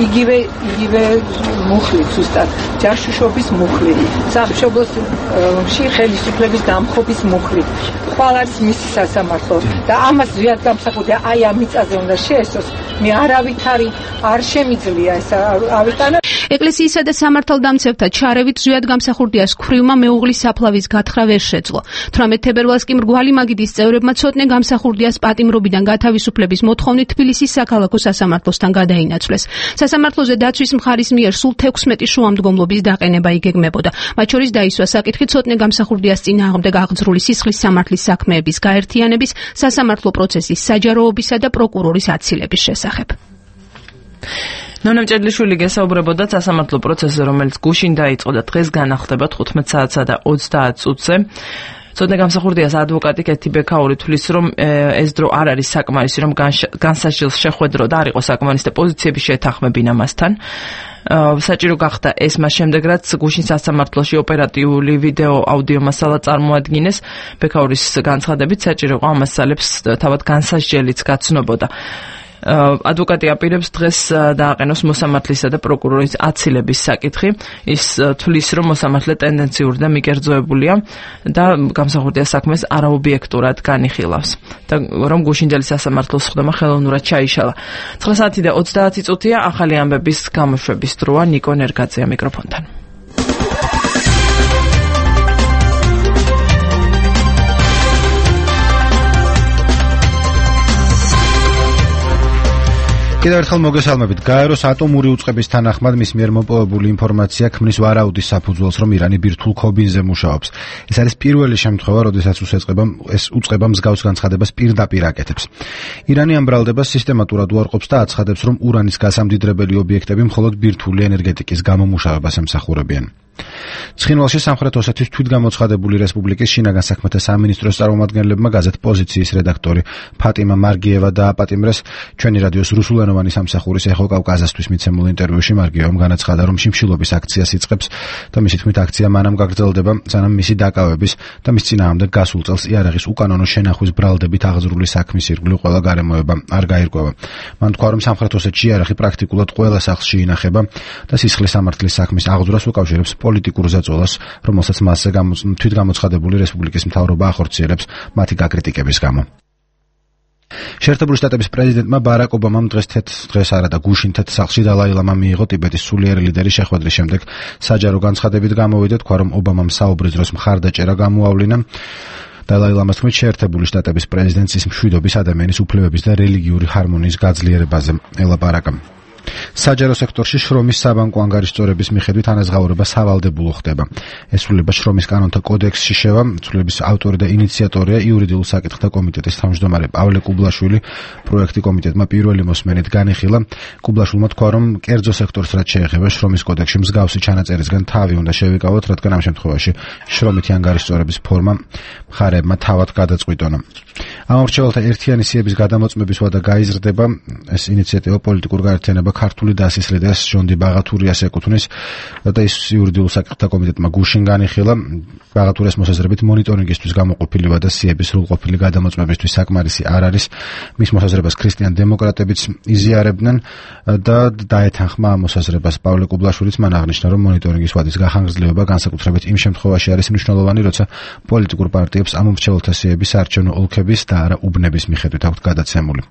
იგივე იგივე მუხლი ზუსტად ჯაშუშობის მუხლი სამშობლოში ხელისუფლების დამხობის მუხლი ხვალ არის მისი სასამართლო და ამას ზვიად გამსახურდია აი ამ მიწაზე უნდა შეესწროს. მე არავითარი არ შემიძლია ეს ავიტანო. ეკლესიისა და სამართალდამცავთა ჩარევით ზვიად გამსახურდიას ქვრივმა მეუღლის საფლავის გათხრა ვერ შეძლო. თვრამეტ თებერვალს კი მრგვალი მაგიდის წევრებმა ცოტნე გამსახურდიას პატიმრობიდან გათავისუფლების მოთხოვნით თბილისის საქალაქო სასამართლოსთან გადაინაცვლეს. სასამართლოზე დაცვის მხარის მიერ სულ თექვსმეტი შუამდგომლობის დაყენება იგეგმებოდა. მათ შორის დაისვა საკითხი ცოტნე გამსახურდიას წინააღმდეგ აღძრული სისხლის სამართლის საქმეების გაერთიანების, სასამართლო პროცესის საჯაროობისა და პროკურორის აცილების შესახებ. ნონა მჭედლიშვილი გესაუბრებოდა სასამართლო პროცესზე, რომელიც გუშინ დაიწყო და დღეს განახლდება თხუთმეტ საათსა და ოცდაათ წუთზე. ცოტნე გამსახურდია ადვოკატი კეთი ბექაური თვლის, რომ ეს დრო არ არის საკმარისი, რომ განსაჯელს შეხვედრო და არ იყოს საკმარისი პოზიციები შეეთანხმებინა მასთან. საჭირო გახდა ეს მას შემდეგ, რაც გუშინ სასამართლოში ოპერატიული ვიდეო აუდიო მასალა წარმოადგინეს. ბექაურის განცხადებით საჭირო იყო ამ მასალებს თავად განსასჯელიც გაცნობოდა. ადვოკატი აპირებს დღეს დააყენოს მოსამართლისა და პროკურორის აცილების საკითხი. ის თვლის, რომ მოსამართლე ტენდენციური და მიკერძოებულია და გამსახურდია საქმეს არაობიექტურად განიხილავს და რომ გუშინდელი სასამართლოს ხდომა ხელოვნურად ჩაიშალა. ცხრა საათი და ოცდაათი წუთია. ახალი ამბების გამოშვების დროა. ნიკო ნერგაძეა მიკროფონთან. კიდევ ერთხელ მოგესალმებით. გაეროს ატომური უწყების თანახმად მის მიერ მოპოვებული ინფორმაცია ქმნის ვარაუდის საფუძველს, რომ ირანი ბირთვულ ქობინზე მუშაობს. ეს არის პირველი შემთხვევა, როდესაც უწყება ეს უწყება მსგავს განცხადებას პირდაპირ აკეთებს. ირანი ამ ბრალდებას სისტემატურად უარყოფს და აცხადებს, რომ ურანის გასამდიდრებელი ობიექტები მხოლოდ ბირთვული ენერგეტიკის გამომუშავებას ემსახურებიან. ცხინვალში სამხრეთ ოსეთის თვითგამოცხადებული რესპუბლიკის შინაგან საქმეთა სამინისტროს წარმომადგენლებმა გაზეთ პოზიციის რედაქტორი ფატიმა მარგიევა დააპატიმრეს. ჩვენი რადიოს რუსულენოვანი სამსახურის ეხო კავკაზასთვის მიცემულ ინტერვიუში მარგიევამ განაცხადა, რომ შიმშილობის აქციას იწყებს და მისი თქმით აქცია მანამ გაგრძელდება, სანამ მისი დაკავების და მის წინააღმდეგ გასულ წელს იარაღის უკანონო შენახვის ბრალდებით აღზრული საქმის ირგვლივ ყველა გარემოება არ გაირკვევა. მან თქვა, რომ სამხრეთ ოსეთში იარაღი პრაქტიკულად ყველა სახლში ინახება და სისხლის სამართლის საქმის აღძვრას უკავშირებს პოლიტიკურ ზაწოლას, რომელსაც მასზე თვითგამოცხადებული რესპუბლიკის მთავრობა ახორციელებს მათი გაკრიტიკების გამო. შეერთებული შტატების პრეზიდენტმა ბარაკ ობამამ დღეს თეთ დღეს არა და გუშინ თეთ სახლში დალაი ლამა მიიღო ტიბეტის სულიერი ლიდერის შეხვედრის შემდეგ. საჯარო განცხადებით გამოვიდა, თქვა, რომ ობამამ საუბრის დროს მხარდაჭერა გამოავლინა. დალაი ლამას თქმით, შეერთებული შტატების პრეზიდენტს ის მშვიდობის, ადამიანის უფლებების და რელიგიური ჰარმონიის გაძლიერებაზე ელაპარაკა. საჯარო სექტორში შრომის საბანკო ანგარიშწორების მიხედვით ანაზღაურება სავალდებულო ხდება. ესრულება შრომის კანონთა კოდექსში შევა. ცვლილების ავტორი და ინიციატორია იურიდიულ საკითხთა კომიტეტის თავმჯდომარე პავლე კუბლაშვილი. პროექტი კომიტეტმა პირველი მოსმენით განიხილა. კუბლაშვილმა თქვა, რომ კერძო სექტორს რაც შეეხება შრომის კოდექსში მსგავსი ჩანაწერისგან თავი უნდა შევიკავოთ, რადგან ამ შემთხვევაში შრომითი ანგარიშწორების ფორმა მხარეებმა თავად გადაწყვიტონა. ამორჩეველთა ერთიანი სიების გადამოწმების ვადა გაიზრდება. ეს ინიციატივა პოლიტიკურ გაერთიანება ქართული დასისრედას ჟონდი ბაღათურიას ეკუთვნის და ის იურიდიულ საკითხთა კომიტეტმა გუშინ განიხილა. ბაღათურიას მოსაზრებით მონიტორინგისთვის გამოყოფილი ვადა სიების სრულყოფილი გადამოწმებისთვის საკმარისი არ არის. მის მოსაზრებას ქრისტიან დემოკრატებიც იზიარებდნენ და დაეთანხმა ამ მოსაზრებას. პავლე კუბლაშვილიც მან აღნიშნა, რომ მონიტორინგის ვადის გახანგრძლივება განსაკუთრებით იმ შემთხვევაში არის მნიშვნელოვანი, როცა პოლიტიკურ პარტიებს ამომრჩეველთა სიების საარჩევნო ოლქების და არა უბნების მიხედვით აქვთ გადაცემული.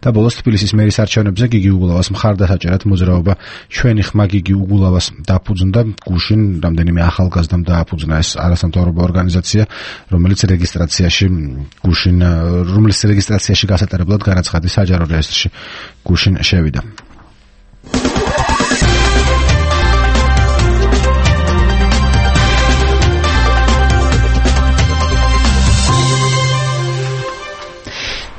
და ბოლოს თბილისის მერის არჩევნებზე გიგი უგულავას მხარდასაჭერად მოძრაობა ჩვენი ხმა გიგი უგულავას დაფუძნდა. გუშინ რამდენიმე ახალგაზრდამ დააფუძნა ეს არასამთავრობო ორგანიზაცია, რომელიც რეგისტრაციაში გუშინ რომლის რეგისტრაციაში გასატარებლად განაცხადის საჯარო რეესტრში გუშინ შევიდა.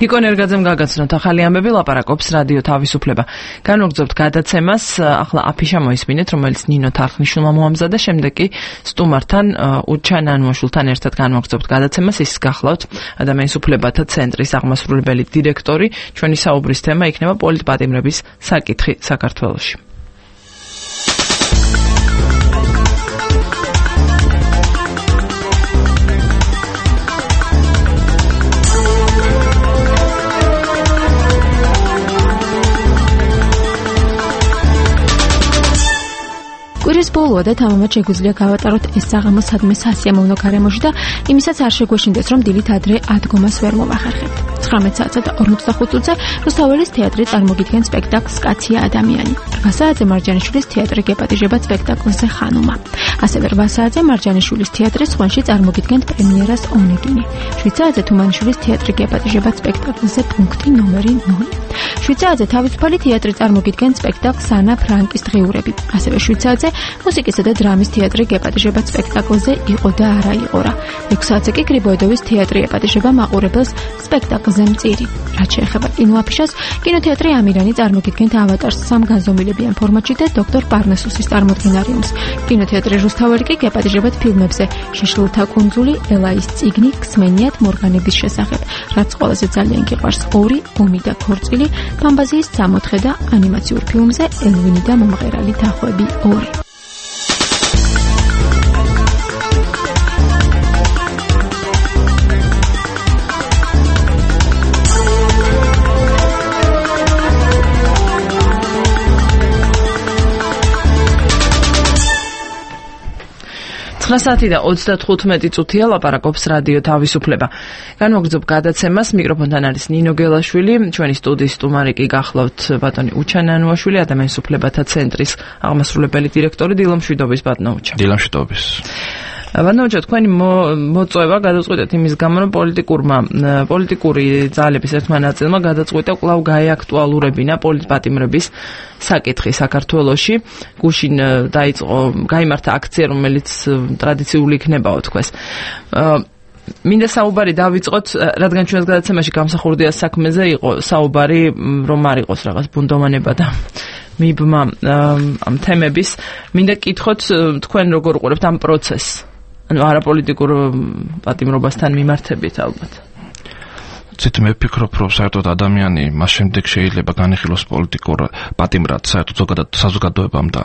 ნიკო ნერგაძემ გაგაცნოთ ახალი ამბები, ლაპარაკობს რადიო თავისუფლება. განვაგრძობთ გადაცემას, ახლა აფიშა მოისმინეთ, რომელიც ნინო თარხნიშვილმა მოამზადა, შემდეგ კი სტუმართან უჩან ანუაშვილთან ერთად განვაგრძობთ გადაცემას. ის გახლავთ ადამიანის უფლებათა ცენტრის აღმასრულებელი დირექტორი. ჩვენი საუბრის თემა იქნება პოლიტპატიმრების საკითხი საქართველოში. კვირის ბოლოა და თამამად შეგვიძლია გავატაროთ ეს საღამო სადმე სასიამოვნო გარემოში და იმისაც არ შეგვეშინდეს, რომ დილით ადრე ადგომას ვერ მომახერხებთ. ცხრამეტ საათსა და ორმოცდახუთ წუთზე რუსთაველის თეატრი წარმოგიდგენს სპექტაკლს კაცია ადამიანი. რვა საათზე მარჯანიშვილის თეატრი გეპატიჟება სპექტაკლზე ხანუმა. ასევე რვა საათზე მარჯანიშვილის თეატრის ხვენში წარმოგიდგენთ პრემიერას ონეგინი. შვიდ საათზე თუმანიშვილის თეატრი გეპატიჟება სპექტაკლზე პუნქტი ნომერი ნული. შვიცაძე თავისუფალი თეატრი წარმოგიდგენს სპექტაკლს ანა ფრანკის დღიურები. ასევე შვიცაძე მუსიკისა და დრამის თეატრი გეპატიჟებად სპექტაკლზე იყო და არა იყო რა. ექვს საათზე კი გრიბოედოვის თეატრი ეპატიჟება მაყურებელს სპექტაკლზე მწირი. რაც შეეხება კინოაფიშას, კინოთეატრი ამირანი წარმოგიდგენთ ავატარს სამ განზომილებიან ფორმატში და დოქტორ პარნასუსის წარმოდგენარიუმს. კინოთეატრი რუსთაველი კი გეპატიჟებად ფილმებზე შეშლილთა კუნძული, ელაის წიგნი, ქსმენიათ მორგანების შესახებ, რაც ყველაზე ძალიან გიყვარს ორი, ომი და ქორწილი, ფამბაზიის სამოთხე და ანიმაციურ ფილმზე ელვინი და მომღერალი თახვები ორი. ცხრა საათი და ოცდათხუთმეტი წუთია, ლაპარაკობს რადიო თავისუფლება. განვაგრძობ გადაცემას, მიკროფონთან არის ნინო გელაშვილი, ჩვენი სტუდიის სტუმარი კი გახლავთ ბატონი უჩა ნანუაშვილი, ადამიანის უფლებათა ცენტრის აღმასრულებელი დირექტორი. დილამშვიდობის ბატონო უჩა. დილამშვიდობის. ბატონო უჩა, თქვენი მოწვევა გადაწყვეტეთ იმის გამო, რომ პოლიტიკურმა პოლიტიკური ძალების ერთმა ნაწილმა გადაწყვიტა კვლავ გაეაქტუალურებინა პოლიტპატიმრების საკითხი საქართველოში. გუშინ დაიწყო, გაიმართა აქცია, რომელიც ტრადიციული იქნებაო თქვეს. მინდა საუბარი დავიწყოთ, რადგან ჩვენს გადაცემაში გამსახურდია საქმეზე იყო საუბარი, რომ არ იყოს რაღაც ბუნდოვანება და მიბმა ამ თემების. მინდა კითხოთ, თქვენ როგორ უყურებთ ამ პროცესს? ანუ არაპოლიტიკურ პატიმრობასთან მიმართებით ალბათ. ცით მე ვფიქრობ, რომ საერთოდ ადამიანი მას შემდეგ შეიძლება განიხილოს პოლიტიკურ პატიმრად, საერთოდ ზოგადად საზოგადოებამ და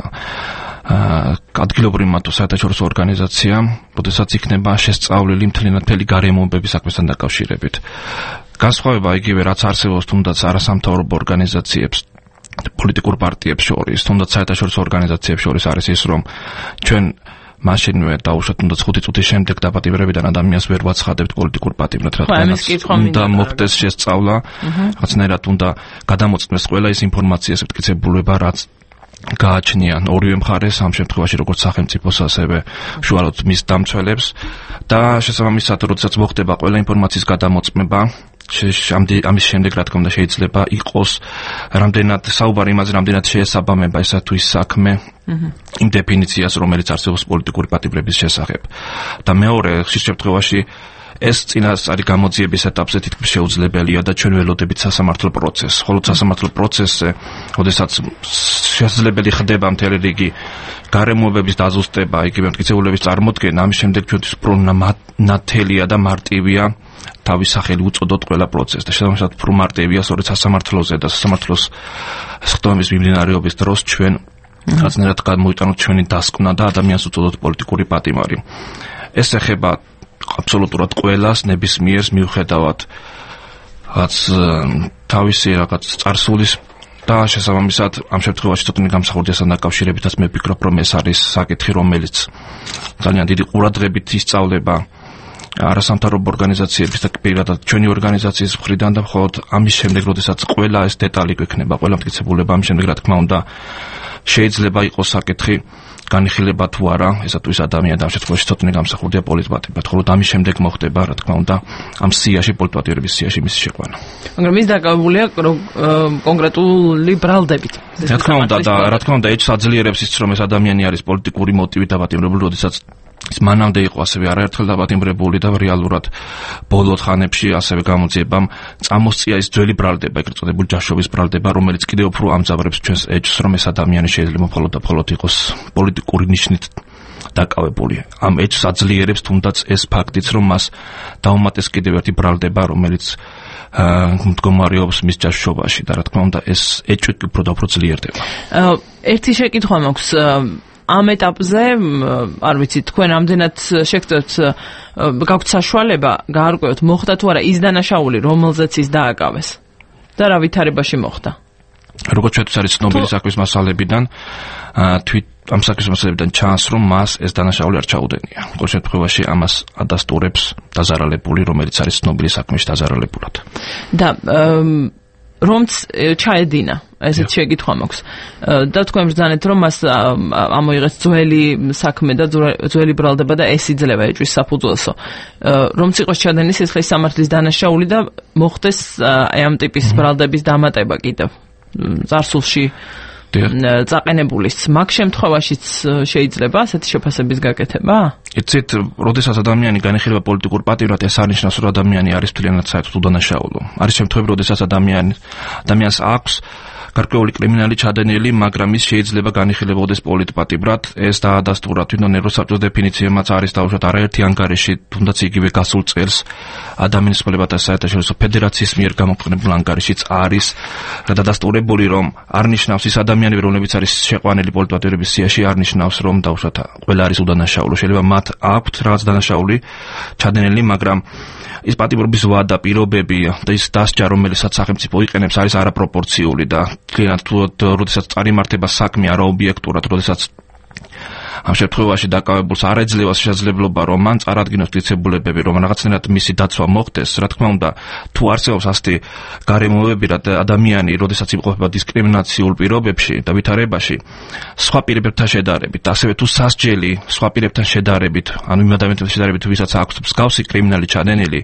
ადგილობრივმა თუ საერთაშორისო ორგანიზაციამ, როდესაც იქნება შესწავლილი მთლიანად მთელი გარემოებების საქმესთან დაკავშირებით. განსხვავება იგივე, რაც არსებობს თუნდაც არასამთავრობო ორგანიზაციებს, პოლიტიკურ პარტიებს შორის, თუნდაც საერთაშორისო ორგანიზაციებს შორის არის ის, რომ ჩვენ მაშინვე დაუშვათ თუნდაც ხუთი წუთის შემდეგ დაპატიმრებიდან ადამიანს ვერ ვაცხადებთ პოლიტიკურ პატიმრად, რა თქმა უნდა, მოხდეს შესწავლა, რაღაცნაირად უნდა გადამოწმდეს ყველა ის ინფორმაციის მტკიცებულება, რაც გააჩნიან ორივე მხარეს, ამ შემთხვევაში როგორც სახელმწიფოს, ასევე უშუალოდ მის დამცველებს და შესაბამისად, როდესაც მოხდება ყველა ინფორმაციის გადამოწმება, ამის შემდეგ, რა თქმა უნდა, შეიძლება იყოს რამდენად საუბარი იმაზე, რამდენად შეესაბამება ესა თუ ის საქმე იმ დეფინიციას, რომელიც არსებობს პოლიტიკური პატიმრების შესახებ. და მეორე, ხშირ შემთხვევაში ეს წინასწარი გამოძიების ეტაპზე თითქმის შეუძლებელია და ჩვენ ველოდებით სასამართლო პროცესს. ხოლო სასამართლო პროცესზე, როდესაც შესაძლებელი ხდება მთელი რიგი გარემოებების დაზუსტება, იგივე მტკიცებულების წარმოდგენა, ამის შემდეგ ჩვენთვის უფრო ნათელია და მარტივია თავის სახელი უწოდოთ ყველა პროცესს და შესაბამისად უფრო მარტივია სწორედ სასამართლოზე და სასამართლოს სხდომების მიმდინარეობის დროს ჩვენ რაღაცნაირად გამოვიტანოთ ჩვენი დასკვნა და ადამიანს უწოდოთ პოლიტიკური პატიმარი. ეს ეხება აბსოლუტურად ყველას, ნებისმიერს, მიუხედავად რაც თავისი რაღაც წარსულის და შესაბამისად ამ შემთხვევაში ცოტნე გამსახურდიასთან დაკავშირებითაც მე ვფიქრობ, რომ ეს არის საკითხი, რომელიც ძალიან დიდი ყურადღებით ისწავლება არასამთავრობო ორგანიზაციების და პირადად ჩვენი ორგანიზაციის მხრიდან და მხოლოდ ამის შემდეგ, როდესაც ყველა ეს დეტალი გვექნება, ყველა მტკიცებულება, ამის შემდეგ, რა თქმა უნდა, შეიძლება იყოს საკითხი განიხილება თუ არა, ესა თუ ის ადამიანი და ამ შემთხვევაში ცოტნე გამსახურდია პოლიტპატიმრად, ხოლო ამის შემდეგ მოხდება, რა თქმა უნდა, ამ სიაში პოლიტპატიმრების სიაში მისი შეყვანა. მაგრამ ის დაკავებულია კონკრეტული ბრალდებით. რა თქმა უნდა და რა თქმა უნდა, ეჭვს აძლიერებს ის, რომ ეს ადამიანი არის პოლიტიკური მოტივით დაპატიმრებული, როდესაც ის მანამდე იყო ასევე არაერთხელ დაპატიმრებული და რეალურად ბოლო ხანებში ასევე გამოძიებამ წამოსწია ის ძველი ბრალდება, ეგრეთ წოდებული ჯაშობის ბრალდება, რომელიც კიდევ უფრო ამძავრებს ჩვენს ეჭვს, რომ ეს ადამიანი შეიძლება მხოლოდ და მხოლოდ იყოს პოლიტიკური ნიშნით დაკავებული. ამ ეჭვს აძლიერებს თუნდაც ეს ფაქტიც, რომ მას დაუმატეს კიდევ ერთი ბრალდება, რომელიც მდგომარეობს მის ჯაშობაში და რა თქმა უნდა, ეს ეჭვი უფრო და უფრო ძლიერდება. ერთი შეკითხვა მაქვს. ამ ეტაპზე, არ ვიცი, თქვენ ამდენად შეგწევთ, გაქვთ საშუალება გაარკვევთ, მოხდა თუ არა ის დანაშაული, რომელზეც ის დააკავეს და რა ვითარებაში მოხდა? როგორც ჩვენთვის არის ცნობილი საქმის მასალებიდან, თვით ამ საქმის მასალებიდან ჩანს, რომ მას ეს დანაშაული არ ჩაუდენია. ყოველ შემთხვევაში ამას ადასტურებს დაზარალებული, რომელიც არის ცნობილი საქმეში დაზარალებულად. და რომც ჩაედინა ესეთ შეკითხვა მაქვს და თქვენ ბრძანეთ რომ მას ამოიღეს ძველი საქმე და ძველი ბრალდება და ეს იძლევა ეჭვის საფუძველსო რომც იყოს ჩადენის სისხლის სამართლის დანაშაული და მოხდეს აი ამ ტიპის ბრალდების დამატება კიდევ წარსულში წაყენებულის მაგ შემთხვევაშიც შეიძლება ასეთი შეფასების გაკეთება? იცით, როდესაც ადამიანი განიხილება პოლიტიკურ პატიმრად, ეს არნიშნავს, რომ ადამიანი არის მთლიანად საერთოდ უდანაშაულო. არის შემთხვევები, როდესაც ადამიანი ადამიანს აქვს გარკვეული კრიმინალი ჩადენილი, მაგრამ ის შეიძლება განიხილებოდეს პოლიტპატიმრად. ეს დაადასტურა თვითონ ევროსაბჭოს დეფინიციებმაც არის დაუშვათ არაერთი ანგარიში, თუნდაც იგივე გასულ წელს ადამიანის უფლებათა საერთაშორისო ფედერაციის მიერ გამოქვეყნებულ ანგარიშიც არის დადასტურებული, რომ არნიშნავს ის ადამიანები, რომლებიც არის შეყვანილი პოლიტპატიმრების სიაში, არნიშნავს, რომ დაუშვათ ყველა არის უდანაშაულო. შეიძლება მათ აქვთ რაღაც დანაშაული ჩადენილი, მაგრამ ის პატიმრობის ვადა, პირობები და ის დასჯა, რომელსაც სახელმწიფო იყენებს, არის არაპროპორციული და კლიანტ როდესაც წარიმართება საქმე არაობიექტურად, როდესაც ამ შემთხვევაში დაკავებულს არ ეძლევა შესაძლებლობა, რომ მან წარადგინოს მტკიცებულებები, რომ რაღაცნაირად მისი დაცვა მოხდეს. რა თქმა უნდა, თუ არსებობს ასეთი გარემოებები, რა ადამიანი, როდესაც იმყოფება დისკრიმინაციულ პირობებში და ვითარებაში, სხვა პირებთან შედარებით, ასევე თუ სასჯელი სხვა პირებთან შედარებით, ანუ იმ ადამიანთან შედარებით, ვისაც აქვს მსგავსი კრიმინალი ჩადენილი,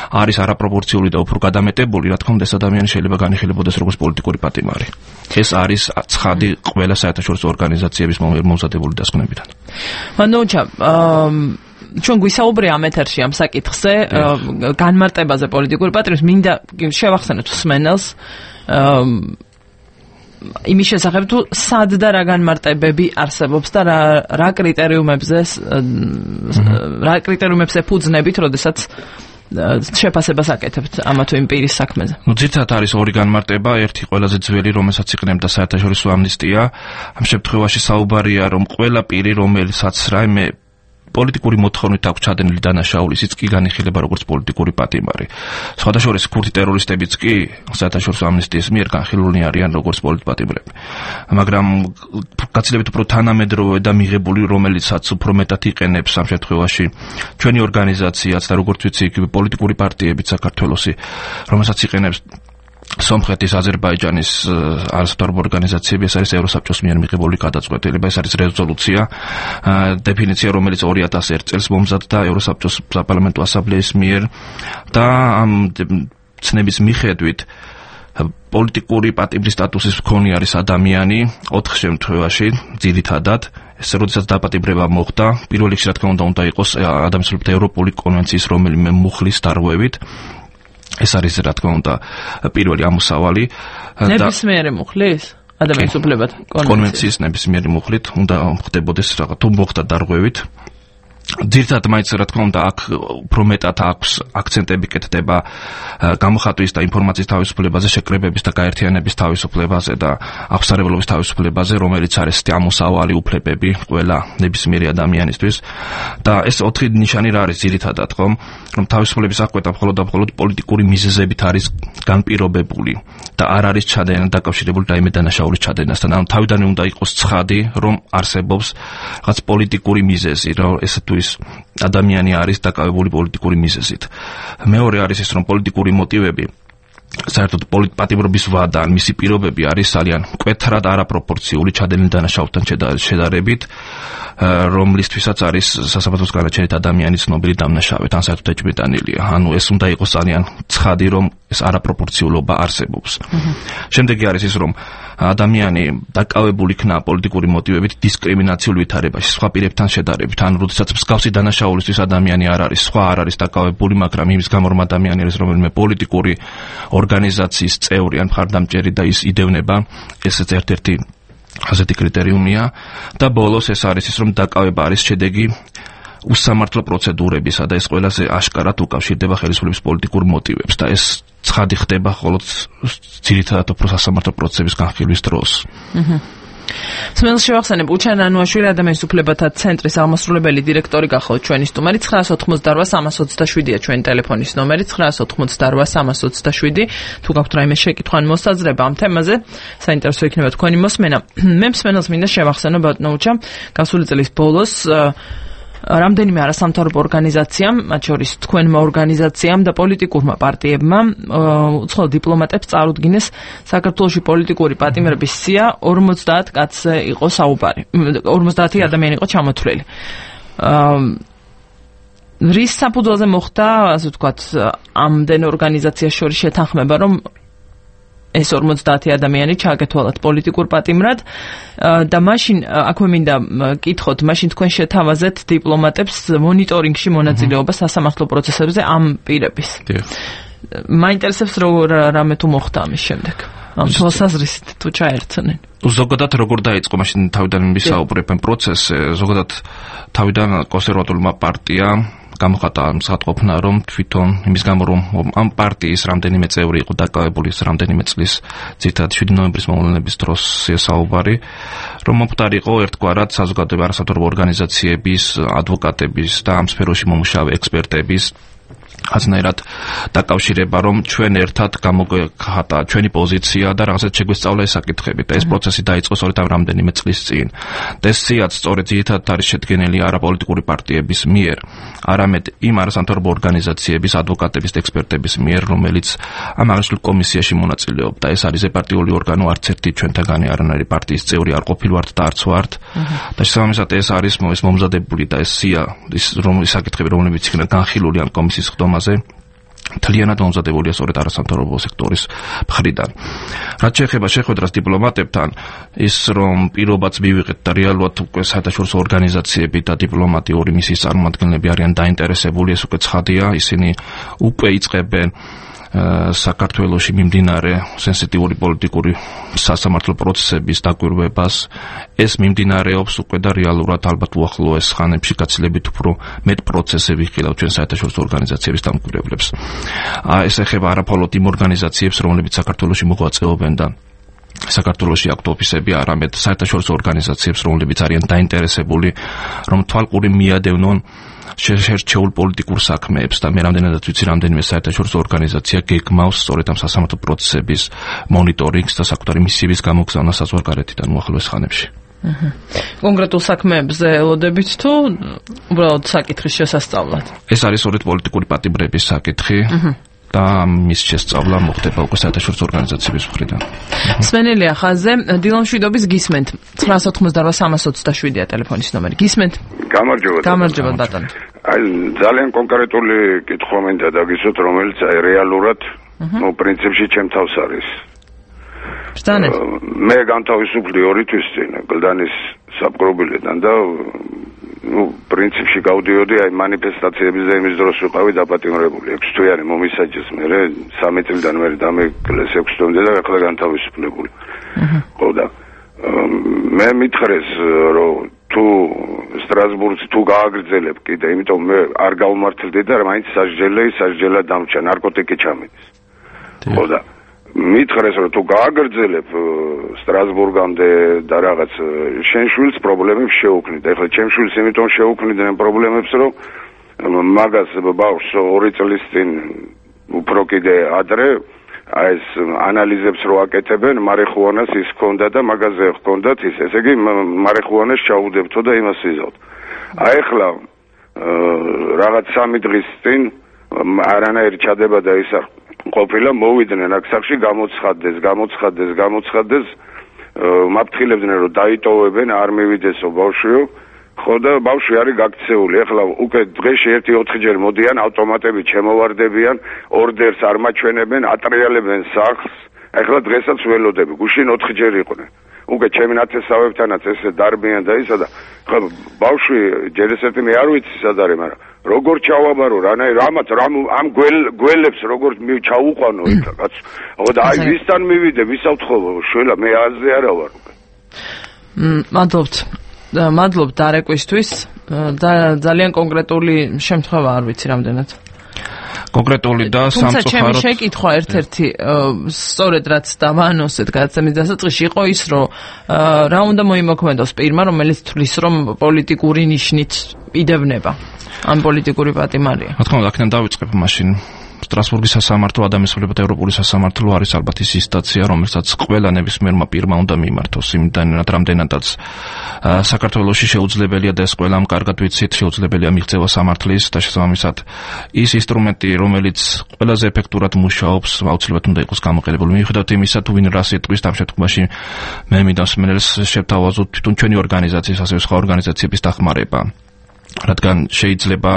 არის არაპროპორციული და უფრო გადამეტებული, რა თქმა უნდა, ეს ადამიანი შეიძლება განიხილებოდეს როგორც პოლიტიკური პატიმარი. ეს არის ცხადი ყველა საერთაშორისო ორგანიზაციების მომზადებული დასკვნებიდან. მანდოჩა, ჩვენ გვისაუბრია ამ ეთერში ამ საკითხზე, განმარტებაზე პოლიტიკური პატიმრის, მინდა შევახსენოთ მსმენელს იმის შესახებ, თუ სად და რა განმარტებები არსებობს და რა რა კრიტერიუმებზე რა კრიტერიუმებს ეფუძნებით, როდესაც შეფასებას აკეთებთ ამა თუ იმ პირის საქმეზე. ნუ ძირითადად არის ორი განმარტება, ერთი ყველაზე ძველი, რომელსაც იყენებდა საერთაშორისო ამნისტია. ამ შემთხვევაში საუბარია, რომ ყველა პირი, რომელსაც რაიმე პოლიტიკური მოთხოვნით აქვს ჩადენილი დანაშაული, ის კი განიხილება როგორც პოლიტიკური პატიმარი. სხვადასხვა ქურთი ტერორისტებიც კი საერთაშორისო ამნისტიის მიერ განხილულნი არიან როგორც პოლიტპატიმრები. მაგრამ გაცილებით უფრო თანამედროვე და მიღებული, რომელიცაც უფრო მეტად იყენებს ამ შემთხვევაში ჩვენი ორგანიზაციაც და როგორც ვიცი, იგივე პოლიტიკური პარტიებიც საქართველოსი, რომელსაც იყენებს სომხეთის, აზერბაიჯანის არასოთარგმო ორგანიზაციები, ეს არის ევროსაბჭოს მიერ მიღებული გადაწყვეტილება, ეს არის რეზოლუცია, დეფინიცია, რომელიც ორი ათას ერთ წელს მომზადდა ევროსაბჭოს საპარლამენტო ასამბლეის მიერ და ამ ცნების მიხედვით პოლიტიკური პატიმრის სტატუსის მქონე არის ადამიანი ოთხ შემთხვევაში, ძირითადად ეს როდესაც დაპატიმრება მოხდა, პირველ რიგში რა თქმა უნდა უნდა იყოს ადამიანის უფლებათა ევროპული კონვენციის რომელიმე მუხლის დარღვევით. ეს არის რა თქმა უნდა პირველი ამოსავალი და ნებისმიერი მუხლის ადამიანის უფლებათა კონვენციის ნებისმიერი მუხლით უნდა ხდებოდეს რაღაც თუ მოხდა დარღვევით. ძირითადად მაინც რა თქმა უნდა აქ უფრო მეტად აქვს აქცენტები კეთდება გამოხატვის და ინფორმაციის თავისუფლებაზე, შეკრებების და გაერთიანების თავისუფლებაზე და აღსარებლობის თავისუფლებაზე, რომელიც არის ამოსავალი უფლებები ყველა ნებისმიერი ადამიანისთვის. და ეს ოთხი ნიშანი რა არის ძირითადად, ხომ? რომ თავისუფლების აღკვეთა მხოლოდ და მხოლოდ პოლიტიკური მიზეზებით არის განპირობებული და არ არის ჩადენა დაკავშირებული რაიმე დანაშაულის ჩადენასთან. ანუ თავიდანვე უნდა იყოს ცხადი, რომ არსებობს რაღაც პოლიტიკური მიზეზი, რომ ეს თუ ის ადამიანი არის დაკავებული პოლიტიკური მიზეზით. მეორე არის ის, რომ პოლიტიკური მოტივები საერთოდ პოლიტპატიმრობის ვადა, მისი პირობები არის ძალიან მკვეთრად არაპროპორციული ჩადენილი დანაშაულთან შედარებით, რომლისთვისაც არის სასამართლოს განაჩენით ადამიანის ცნობილი დამნაშავედ, ან საერთოდ ეჭვმიტანილია. ანუ ეს უნდა იყოს ძალიან ცხადი, რომ ეს არაპროპორციულობა არსებობს. შემდეგი არის ის, რომ ადამიანი დაკავებული იქნა პოლიტიკური მოტივებით დისკრიმინაციულ ვითარებაში, სხვა პირებთან შედარებით, ან როდესაც მსგავსი დანაშაულისთვის ადამიანი არ არის, სხვა არ არის დაკავებული, მაგრამ იმის გამო რომ ადამიანი არის რომელიმე პოლიტიკური ორგანიზაციის წევრი ან მხარდამჭერი და ის იდევნება, ესეც ერთ-ერთი ასეთი კრიტერიუმია და ბოლოს ეს არის ის, რომ დაკავება არის შედეგი უსამართლო პროცედურებისა და ეს ყველაზე აშკარად უკავშირდება ხელისუფლების პოლიტიკურ მოტივებს და ეს ცხადი ხდება მხოლოდ ძირითადად უფრო სასამართლო პროცესების განხილვის დროს. სმენელს შევახსენებ, უჩან ანუაშვილი ადამიანის უფლებათა ცენტრის აღმასრულებელი დირექტორი გახავთ ჩვენი სტუმარი. ცხრაას ოცდაოთხმოცდარვა სამას ოცდაშვიდია ჩვენი ტელეფონის ნომერი, ცხრაას ოცდაოთხმოცდარვა სამას ოცდაშვიდი. თუ გაქვთ რაიმე შეკითხვა ან მოსაზრება ამ თემაზე, საინტერესო იქნება თქვენი მოსმენა. მე მსმენელს მინდა შევახსენო ბატონო უჩა, გასული წლის ბოლოს რამდენიმე არასამთავრობო ორგანიზაციამ, მათ შორის თქვენმა ორგანიზაციამ და პოლიტიკურმა პარტიებმა უცხოელ დიპლომატებს წარუდგინეს საქართველოში პოლიტიკური პატიმრების სია ორმოცდაათ კაცზე იყო საუბარი. ორმოცდაათი ადამიანი იყო ჩამოთვლილი. რის საფუძველზე მოხდა, ასე ვთქვათ, ამდენ ორგანიზაციას შორის შეთანხმება, რომ ეს ორმოცდაათი ადამიანი ჩააგეთვალათ პოლიტიკურ პატიმრად და მაშინ აქვე მინდა კითხოთ, მაშინ თქვენ შეთავაზეთ დიპლომატებს მონიტორინგში მონაწილეობა სასამართლო პროცესებზე ამ პირების. მაინტერესებს როგორ რამე თუ მოხდა ამის შემდეგ. ამ თვალსაზრისით თუ ჩაერთნენ. ზოგადად როგორ დაიწყო მაშინ თავიდან ვისაუბრებენ პროცესზე, ზოგადად თავიდან კონსერვატულმა პარტიამ გამოხატა მსახატყოფნა, რომ თვითონ იმის გამო, რომ ამ პარტიის რამდენიმე წევრი იყო დაკავებული რამდენიმე წლის ძირითადად შვიდი ნოემბრის მოვლენების დროს საუბარი, რომ მომხდარიყო ერთგვარად საზოგადოებრივი არასამთავრობო ორგანიზაციების, ადვოკატების და ამ სფეროში მომუშავე ექსპერტების აზნაირად დაკავშირება, რომ ჩვენ ერთად გამოგვეხატა ჩვენი პოზიცია და რაღაცა შეგვესწავლა ეს საკითხები და ეს პროცესი დაიწყო სწორედ ამ რამდენიმე წლის წინ. და ეს სიაც სწორედ ძირითადად არის შედგენილი არაპოლიტიკური პარტიების მიერ, არამედ იმ არასამთავრობო ორგანიზაციების, ადვოკატების და ექსპერტების მიერ, რომელიც ამ აღნიშნულ კომისიაში მონაწილეობდა. ეს არის ეპარტიული ორგანო, არც ერთი ჩვენთაგანი არანაირი პარტიის წევრი არ ყოფილვართ და არც ვართ. და შესაბამისად ეს არის ეს მომზადებული და ეს სია, ის რომ საკითხები, რომლებიც იქნა განხილული ამ კომისიის ხდომაზე, თლიანად მომზადებულია სწორედ არასამთავრობო სექტორის მხრიდან. რაც შეეხება შეხვედრას დიპლომატებთან, ის რომ პირობაც მივიღეთ და რეალურად უკვე საერთაშორისო ორგანიზაციები და დიპლომატიური მისიის წარმომადგენლები არიან დაინტერესებული, ეს უკვე ცხადია, ისინი უკვე იწყებენ საქართველოში მიმდინარე სენსიტიური პოლიტიკური სასამართლო პროცესების დაკვირვებას. ეს მიმდინარეობს უკვე და რეალურად ალბათ უახლოეს ხანებში გაცილებით უფრო მეტ პროცესები ხილავ ჩვენ საერთაშორისო ორგანიზაციების დამკვირვებლებს. ეს ეხება არაფოლოდ იმ ორგანიზაციებს, რომლებიც საქართველოში მოღვაწეობენ და საქართველოში აქვთ ოფისები, არამედ საერთაშორისო ორგანიზაციებს, რომლებიც არიან დაინტერესებული, რომ თვალყური მიადევნონ შერჩეულ პოლიტიკურ საქმეებს და მე რამდენადაც ვიცი, რამდენიმე საერთაშორისო ორგანიზაცია გეგმავს სწორედ ამ სასამართლო პროცესების მონიტორინგს და საკუთარი მისიების გამოგზავნას საზღვარგარეთიდან უახლოეს ხანებში. კონკრეტულ საქმეებზე ელოდებით თუ უბრალოდ საკითხის შესასწავლად? ეს არის სწორედ პოლიტიკური პატიმრების საკითხი. და მის შესწავლა მოხდება უკვე საერთაშორისო ორგანიზაციების მხრიდან. სვენელია ხაზზე, დილონ შვიდობის გისმენთ. ცხრაას ოცდაოთხ სამას ოცდაშვიდია ტელეფონის ნომერი. გისმენთ? გამარჯობა. გამარჯობა ბატონო. აი ძალიან კონკრეტული კითხვა მინდა დაგისვათ, რომელიც აი რეალურად, ნუ პრინციპში ჩემ თავს არის. ბრძანეთ. მე განთავისუფლდი ორი თვის წინ გლდანის საპყრობილედან და ну, პრინციპში გავდიოდი აი მანიფესტაციების და იმის დროს ვიყავი დაპატიმრებული. ექვს თვიანი მომისაჯეს მე, სამი წლიდან მე დამეკლეს ექვს თვამდე და ახლა განთავისუფლებული. ხო და მე მითხრეს, რომ თუ სტრასბურგში თუ გააგრძელებ კიდე, იმიტომ მე არ გავმართლდი და მაინც სასჯელი სასჯელად დამჭა, ნარკოტიკი ჩამიდის. ხო და მითხრეს, რომ თუ გააგრძელებ სტრასბურგამდე და რაღაც შენ შვილს პრობლემებს შეუქმნი და ეხლა ჩემ შვილს იმიტომ შეუქმნიდნენ პრობლემებს, რომ მაგას ბავშვს ორი წლის წინ უფრო კიდე ადრე აი ეს ანალიზებს რო აკეთებენ, მარიხუანას ის ჰქონდა და მაგაზე ჰქონდათ ის, ესე იგი მარიხუანას ჩაუდებთო და იმას იზავთ. აი ეხლა რაღაც სამი დღის წინ არანაირი ჩადება და ისა ყოფილა მოვიდნენ აქ სახში, გამოცხადდეს, გამოცხადდეს, გამოცხადდეს, მაფრთხილებდნენ რომ დაიტოვებენ, არ მივიდესო ბავშვიო, ხო და ბავშვი არის გაქცეული. ეხლა უკვე დღეში ერთი ოთხჯერ მოდიან, ავტომატები ჩემოვარდებიან, ორდერს არ მაჩვენებენ, ატრიალებენ სახლს. ეხლა დღესაც ველოდები, გუშინ ოთხჯერ იყვნენ. უკვე ჩემი ნათესავებთანაც ესე დარბიან და ისა და ხო ბავშვი ჯერ ესეთი მე არ ვიცი სად არის, მაგრამ როგორ ჩავაბარო რანაირ ამათ რამ ამ გველებს როგორ ჩაუყვანო იქ კაც. ხო და აი ვისთან მივიდე, ვისავთხოვო შველა, მე აზე არა ვარ უკვე. მადლობთ. მადლობთ დარეკვისთვის და ძალიან კონკრეტული შემთხვევა არ ვიცი რამდენად. კონკრეტული და სამწუხაროდ. თუმცა ჩემი შეკითხვა ერთ-ერთი სწორედ რაც დავანონსეთ გადაცემის დასაწყისში იყო ის, რომ რა უნდა მოიმოქმედოს პირმა, რომელიც თვლის, რომ პოლიტიკური ნიშნით იდევნება ამ პოლიტიკური პატიმარია. რა თქმა უნდა, აქედან დავიწყებ მაშინ სტრასბურგის სასამართლო ადამიანის უფლებათა ევროპული სასამართლო არის ალბათ ის ინსტანცია, რომელსაც ყველა ნებისმიერმა პირმა უნდა მიიმართოს, იმდანაც რამდენადაც საქართველოში შეუძლებელია და ეს ყველამ კარგად ვიცით, შეუძლებელია მიღწევა სამართლის და შესაბამისად ის ინსტრუმენტი, რომელიც ყველაზე ეფექტურად მუშაობს, აუცილებლად უნდა იყოს გამოყენებული. მიუხედავად იმისა, თუ ვინ რას იტყვის, ამ შემთხვევაში მე მინდა მსმენელს შევთავაზოთ თვითონ ჩვენი ორგანიზაციის, ასევე სხვა ორგანიზაციების დახმარება. რადგან შეიძლება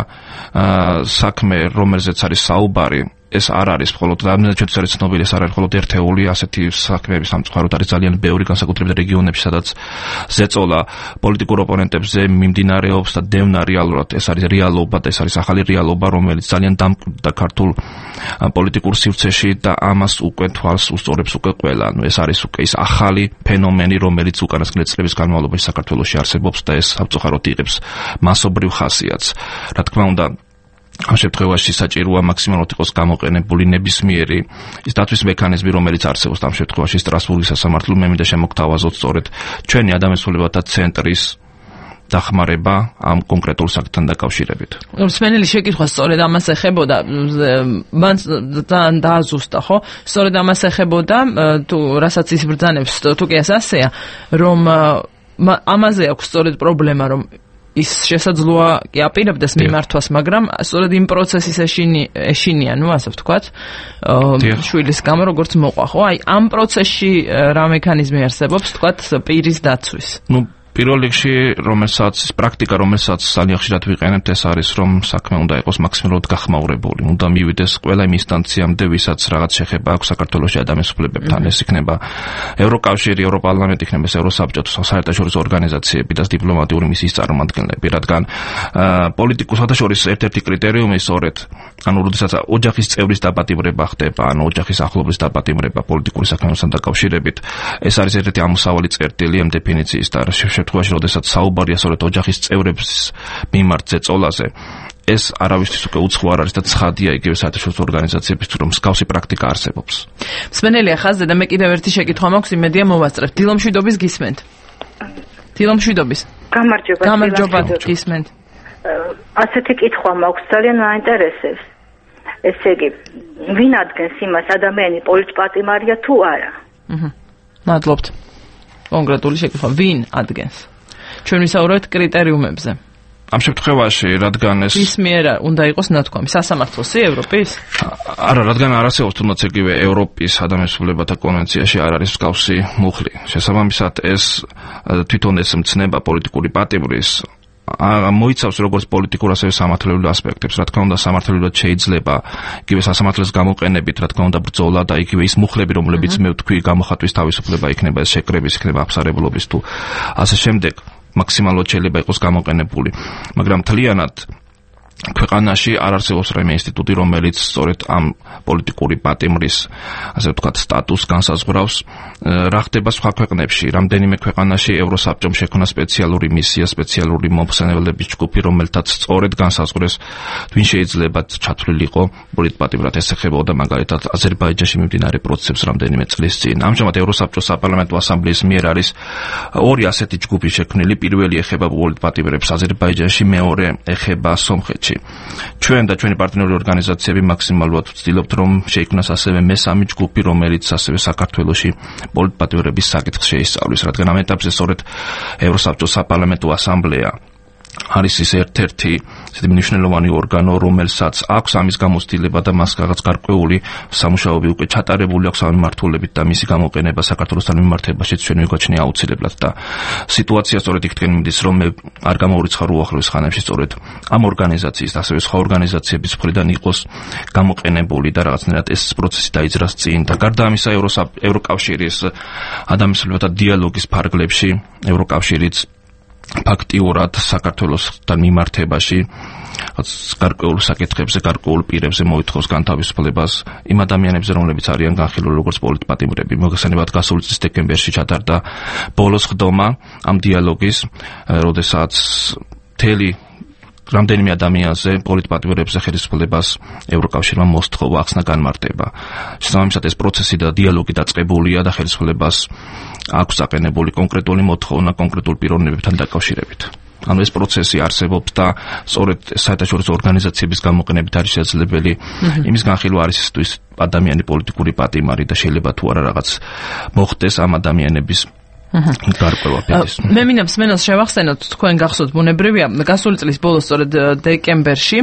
საქმე, რომელზეც არის საუბარი, ეს არ არის მხოლოდ რამდენად ჩვენთვის არის ცნობილი, ეს არ არის მხოლოდ ერთეული, ასეთი საქმეების სამწუხაროდ არის ძალიან ბევრი, განსაკუთრებით რეგიონებში, სადაც ზეწოლა პოლიტიკურ ოპონენტებზე მიმდინარეობს და დევნა რეალურად, ეს არის რეალობა და ეს არის ახალი რეალობა, რომელიც ძალიან დამკვიდრდა ქართულ პოლიტიკურ სივრცეში და ამას უკვე თვალს უსწორებს უკვე ყველა. ანუ ეს არის უკვე ის ახალი ფენომენი, რომელიც უკანასკნელი წლების განმავლობაში საქართველოში არსებობს და ეს სამწუხაროდ იღებს მასობრივ ხასიათს. რა თქმა უნდა, ამ შემთხვევაში საჭიროა მაქსიმალურად იყოს გამოყენებული ნებისმიერი ის დათვის მექანიზმი, რომელიც არსებობს ამ შემთხვევაში სტრასბურგის სასამართლომ. მე მინდა შემოგთავაზოთ სწორედ ჩვენი ადამიანის უფლებათა ცენტრის დახმარება ამ კონკრეტულ საკითხთან დაკავშირებით. მსმენელი შეკითხვა სწორედ ამას ეხებოდა, მან ძალიან დააზუსტა, ხო? სწორედ ამას ეხებოდა, თუ რასაც ის ბრძანებს, თუ კი ასეა, რომ ამაზე აქვს სწორედ პრობლემა, რომ ის შესაძლოა კი აპირებდეს მიმართვას, მაგრამ სწორედ იმ პროცესის ეშინია, ნუ ასე ვთქვათ, შვილის გამო როგორც მოყვა, ხო? აი, ამ პროცესში რა მექანიზმი არსებობს, ვთქვათ, პირის დაცვის? ნუ პირველ რიგში, რომელსაც პრაქტიკა, რომელსაც ძალიან ხშირად ვიყენებთ, ეს არის, რომ საქმე უნდა იყოს მაქსიმალურად გახმაურებული. უნდა მივიდეს ყველა იმ ინსტანციამდე, ვისაც რაღაც შეხება აქვს საქართველოში ადამიანის უფლებებთან. ეს იქნება ევროკავშირი, ევროპარლამენტი, იქნება ევროსაბჭო, საერთაშორისო ორგანიზაციები და დიპლომატიური მისიის წარმომადგენლები, რადგან პოლიტიკურ საერთაშორისო ერთ-ერთი კრიტერიუმი სწორედ, ანუ როდესაც ოჯახის წევრის დაპატიმრება ხდება, ანუ ოჯახის ახლობლის დაპატიმრება პოლიტიკური საქმეებთან დაკავშირებით, ეს არის ერთ-ერთი ამოსავალი წერტილი ამ დეფინიციის და შემთხვევაში, როდესაც საუბარია სწორედ ოჯახის წევრების მიმართ ზეწოლაზე, ეს არავისთვის უკვე უცხო არ არის და ცხადია იგივე საერთაშორისო ორგანიზაციების თუ რომ მსგავსი პრაქტიკა არსებობს. მსმენელია ხაზზე და მე კიდევ ერთი შეკითხვა მაქვს, იმედია მოვასწრებთ. დილომშვიდობის გისმენთ? დილომშვიდობის. გამარჯობა. გამარჯობა, გისმენთ. ასეთი კითხვა მაქვს, ძალიან მაინტერესებს. ესე იგი, ვინ ადგენს იმას, ადამიანი პოლიტპატიმარია თუ არა? აჰა. მადლობთ. კონკრეტული შეკითხვა, ვინ ადგენს? ჩვენ ვისაუბრებთ კრიტერიუმებზე. ამ შემთხვევაში, რადგან ეს ის მიერ უნდა იყოს ნათქვამი სასამართლოსი ევროპის? არა, რადგან არ არსებობს თუნდაც იგივე ევროპის ადამიანის უფლებათა კონვენციაში არ არის მსგავსი მუხლი. შესაბამისად, ეს თვითონ ეს მცნება პოლიტიკური პატიმრის მოიცავს როგორც პოლიტიკურ, ასევე სამართლებრივ ასპექტებს. რა თქმა უნდა, სამართლებრივად შეიძლება იგივე სასამართლოს გამოყენებით, რა თქმა უნდა, ბრძოლა და იგივე ის მუხლები, რომლებიც მე ვთქვი, გამოხატვის თავისუფლება იქნება, ეს შეკრების, იქნება აფსარებლობის თუ ასე შემდეგ, მაქსიმალურად შეიძლება იყოს გამოყენებული. მაგრამ მთლიანად ქვეყანაში არ არსებობს რაიმე ინსტიტუტი, რომელიც სწორედ ამ პოლიტიკური პატიმრის, ასე ვთქვათ, სტატუსს განსაზღვრავს. რა ხდება სხვა ქვეყნებში? რამდენიმე ქვეყანაში ევროსაბჭომ შექმნა სპეციალური მისია, სპეციალური მომხსენებლების ჯგუფი, რომელთაც სწორედ განსაზღვრეს, ვინ შეიძლება ჩათვლილიყო პოლიტპატიმრად. ეს ეხებოდა მაგალითად აზერბაიჯანში მიმდინარე პროცესებს რამდენიმე წლის წინ. ამჟამად ევროსაბჭოს საპარლამენტო ასამბლეის მიერ არის ორი ასეთი ჯგუფი შექმნილი. პირველი ეხება პოლიტპატიმრებს აზერბაიჯანში, მეორე ეხება სომხეთში. ჩვენ და ჩვენი პარტნიორი ორგანიზაციები მაქსიმალურად ვცდილობთ, რომ შეიქმნას ასევე მესამე ჯგუფი, რომელიც ასევე საქართველოში პოლიტპატიმრების საკითხს შეისწავლის, რადგან ამ ეტაპზე სწორედ ევროსაბჭოს საპარლამენტო ასამბლეა არის ის ერთ-ერთი ისეთი მნიშვნელოვანი ორგანო, რომელსაც აქვს ამის გამოცდილება და მას რაღაც გარკვეული სამუშაოები უკვე ჩატარებული აქვს ამ მიმართულებით და მისი გამოყენება საქართველოსთან მიმართებაშიც ჩვენ ვიგვაჩნია აუცილებლად და სიტუაცია სწორედ იქთკენ მიდის, რომ მე არ გამოვირიცხარ უახლოეს ხანებში სწორედ ამ ორგანიზაციის და ასევე სხვა ორგანიზაციების მხრიდან იყოს გამოყენებული და რაღაცნაირად ეს პროცესი დაიძრას წინ და გარდა ამისა ევროკავშირის ადამიანის უფლებათა დიალოგის ფარგლებში ევროკავშირიც ფაქტიურად საქართველოსთან მიმართებაში გარკვეულ საკითხებზე, გარკვეულ პირებზე მოითხოვს განთავისუფლებას იმ ადამიანებზე, რომლებიც არიან განხილული როგორც პოლიტპატიმრები. მოგესალმებით, გასული წლის დეკემბერში ჩატარდა ბოლოს ხდომა ამ დიალოგის, როდესაც მთელი რამდენიმე ადამიანზე პოლიტპატიმრებზე ხელისუფლებას ევროკავშირმა მოსთხოვა ახსნა განმარტება. შესაბამისად, ეს პროცესი და დიალოგი დაწყებულია და ხელისუფლებას აქვს აყენებული კონკრეტული მოთხოვნა კონკრეტულ პიროვნებებთან დაკავშირებით. ანუ ეს პროცესი არსებობს და სწორედ საერთაშორისო ორგანიზაციების გამოყენებით არის შესაძლებელი იმის განხილვა არის ის ადამიანი პოლიტიკური პატიმარი და შეიძლება თუ არა რაღაც მოხდეს ამ ადამიანების მე მინდა მსმენელს შევახსენოთ თქვენ გახსოვთ ბუნებრივია გასული წლის ბოლოს სწორედ დეკემბერში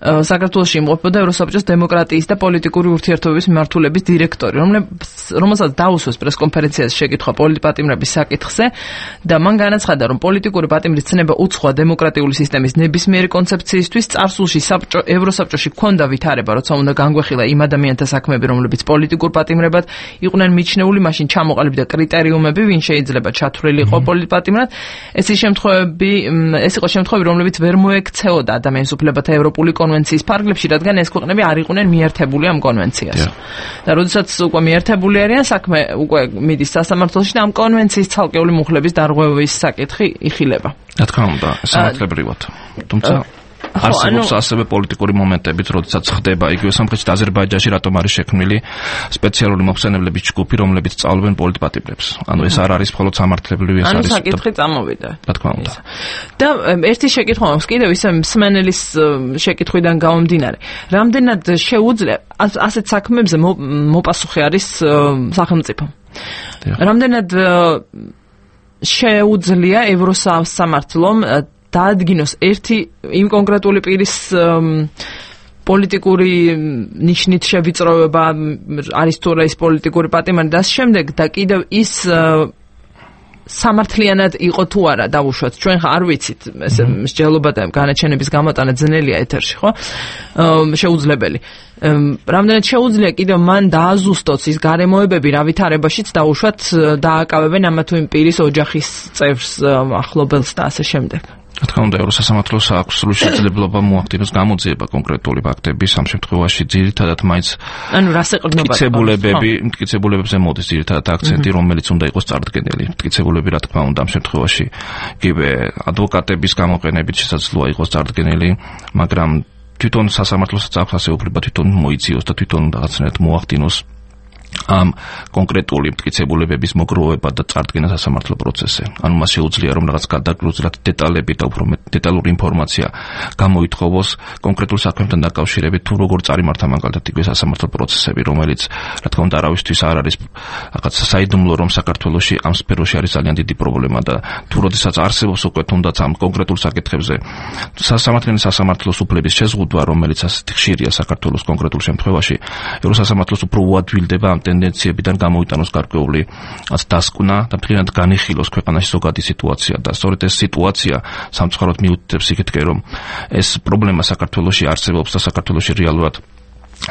საქართველოში იმყოფებოდა ევროსაბჭოს დემოკრატიის და პოლიტიკური ურთიერთობების მიმართულების დირექტორი რომელსაც დაუსვეს პრესკონფერენციაზე შეკითხვა პოლიტპატიმრების საკითხზე და მან განაცხადა რომ პოლიტიკური პატიმრის ცნება უცხოა დემოკრატიული სისტემის ნებისმიერი კონცეფციისთვის წარსულში ევროსაბჭოში ჰქონდა ვითარება როცა უნდა განგვეხილა იმ ადამიანთა საქმეები რომლებიც პოლიტიკურ პატიმრებად იყვნენ მიჩნეული მაშინ ჩამოყალიბდა კრიტერიუმები ვინ შეიძლება ჩათვლილი იყო პოლიტპატიმრად ეს ის შემთხვევები ეს იყო შემთხვევები რომლებიც ვერ მოექცეოდა ადამიანის უფლებათა ევროპული კონვენციის ფარგლებში რადგან ეს ქვეყნები არ იყვნენ მიერთებული ამ კონვენციას და როდესაც უკვე მიერთებული არიან საქმე უკვე მიდის სასამართლოში და ამ კონვენციის ცალკეული მუხლების დარღვევის საკითხი იხილება რა თქმა უნდა სამართლებრივად თუმცა არსებობს ასევე პოლიტიკური მომენტებიც, როდესაც ხდება იგივე სამხრეთში და აზერბაიჯანში რატომ არის შექმნილი სპეციალური მოხსენებლების ჯგუფი, რომლებიც სწავლობენ პოლიტპატიმრებს. ანუ ეს არ არის მხოლოდ სამართლებრივი, ეს არის საკითხი წამოვიდა. რა თქმა უნდა. და ერთი შეკითხვა მაქვს კიდევ ისე მსმენელის შეკითხვიდან გამომდინარე. რამდენად შეუძლია ასეთ საქმეებზე მოპასუხი არის სახელმწიფო? რამდენად შეუძლია ევროსამართლომ დაადგინოს ერთი იმ კონკრეტული პირის პოლიტიკური ნიშნით შევიწროვება არის თუ რა ის პოლიტიკური პატიმარი და შემდეგ და კიდევ ის სამართლიანად იყო თუ არა დავუშვათ ჩვენ ხა არ ვიცით ეს მსჯელობა და განაჩენების გამოტანა ძნელია ეთერში ხო შეუძლებელი რამდენად შეუძლია კიდევ მან დააზუსტოს ის გარემოებები რა ვითარებაშიც დაუშვათ დააკავებენ ამა თუ იმ პირის ოჯახის წევრს ახლობელს და ასე შემდეგ რა თქმა უნდა ევროსასამართლოს აქვს სრული შესაძლებლობა მოახდინოს გამოძიება კონკრეტული ფაქტების ამ შემთხვევაში ძირითადად მაინც ანუ რას ეყრდნობა მტკიცებულებები მტკიცებულებებზე მოდის ძირითადად აქცენტი რომელიც უნდა იყოს წარდგენილი მტკიცებულები რა თქმა უნდა ამ შემთხვევაში იგივე ადვოკატების გამოყენებით შესაძლოა იყოს წარდგენილი მაგრამ თვითონ სასამართლოსაც აქვს ასე უფლება თვითონ მოიციოს და თვითონ რაღაცნაირად მოახდინოს ამ კონკრეტული მტკიცებულებების მოგროვება და წარდგენა სასამართლო პროცესზე. ანუ მას შეუძლია რომ რაღაც გადაგრუზრად დეტალები და უფრო დეტალური ინფორმაცია გამოითხოვოს კონკრეტულ საქმესთან დაკავშირებით თუ როგორ წარიმართა მაგალითად იგივე სასამართლო პროცესები, რომელიც რა თქმა უნდა არავისთვის არ არის რაღაც საიდუმლო რომ საქართველოში ამ სფეროში არის ძალიან დიდი პრობლემა და თუ როდესაც არსებობს უკვე თუნდაც ამ კონკრეტულ საკითხებზე სასამართლო სასამართლოს უფლების შეზღუდვა, რომელიც ასეთი ხშირია საქართველოს კონკრეტულ შემთხვევაში, ევროსასამართლოს უფრო უადვილდება ამ ტენდენციებიდან გამოიტანოს გარკვეული დასკვნა და ფრინად განიხილოს ქვეყანაში ზოგადი სიტუაცია და სწორედ ეს სიტუაცია სამწუხაროდ მიუთითებს იქეთკე რომ ეს პრობლემა საქართველოში არსებობს და საქართველოში რეალურად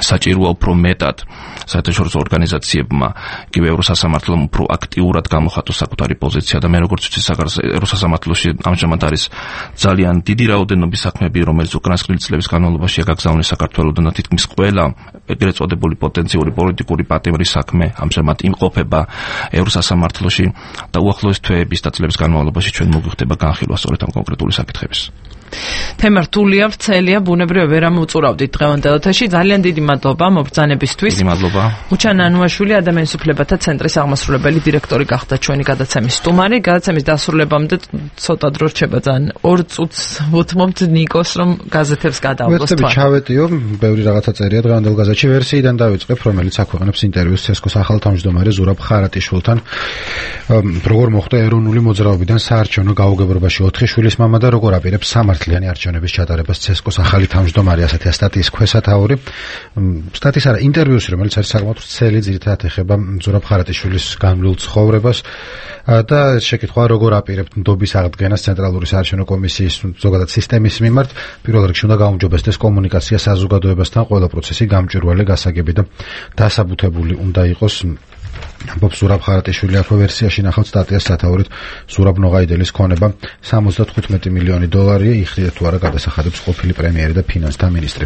საჭიროა უფრო მეტად საერთაშორისო ორგანიზაციებმა იგივე ევროსასამართლომ უფრო აქტიურად გამოხატოს საკუთარი პოზიცია და მე როგორც ვიცი ევროსასამართლოში ამჟამად არის ძალიან დიდი რაოდენობის საქმეები რომელიც უკრაინასკრილი წლების განმავლობაში გაგზავნეს საქართველოდან და თითქმის ყველა ეგრეთ წოდებული პოტენციური პოლიტიკური პატიმრის საქმე ამჟამად იმყოფება ევროსასამართლოში და უახლოეს თვეების და წლების განმავლობაში ჩვენ მოგვიხდება განხილვა სწორედ ამ კონკრეტული საკითხების თემა რთულია, ვრცელია, ბუნებრივია ვერ ამოუწურავდით დღევანდელ ეთერში. ძალიან დიდი მადლობა მობრძანებისთვის. დიდი მადლობა. უჩან ანუაშვილი ადამიანის უფლებათა ცენტრის აღმასრულებელი დირექტორი გახდა ჩვენი გადაცემის სტუმარი. გადაცემის დასრულებამდე ცოტა დრო რჩება ძალიან ორ წუთს ვუთმობთ ნიკოს რომ გაზეთებს გადაავლოს თქვენ. ვეცდები ჩავეტიო, ბევრი რაღაცა წერია დღევანდელ გაზეთში ვერსიიდან დავიწყებ, რომელიც აქვეყნებს ინტერვიუს ცესკოს ახალ თავმჯდომარე ზურაბ ხარატიშვილთან. როგორ მოხდა ეროვნული მოძრაობიდან საარჩევნო გაუგებრობაში ოთხი შვილის მამა და როგორ აპირებს სამართლიანი არჩევნების ჩატარებას ცესკოს ახალი თავმჯდომარე ასეთია სტატიის ქვესათაური. სტატიის არა ინტერვიუსი, რომელიც არის საკმაოდ ვრცელი, ძირითადად ეხება ზურაბ ხარატიშვილის განვლილ ცხოვრებას და შეკითხვა როგორ აპირებთ ნდობის აღდგენას ცენტრალური საარჩევნო კომისიის ზოგადად სისტემის მიმართ. პირველ რიგში უნდა გაუმჯობესდეს კომუნიკაცია საზოგადოებასთან, ყველა პროცესი გამჭვირვალე, გასაგები და დასაბუთებული უნდა იყოს. ამბობს ზურაბ ხარატიშვილი აქვე ვერსიაში ნახავთ სტატიას სათაურით ზურაბ ნოღაიდელის ქონება სამოცდათხუთმეტი მილიონი დოლარია იხდიდა თუ არა გადასახადებს ყოფილი პრემიერი და ფინანსთა მინისტრი.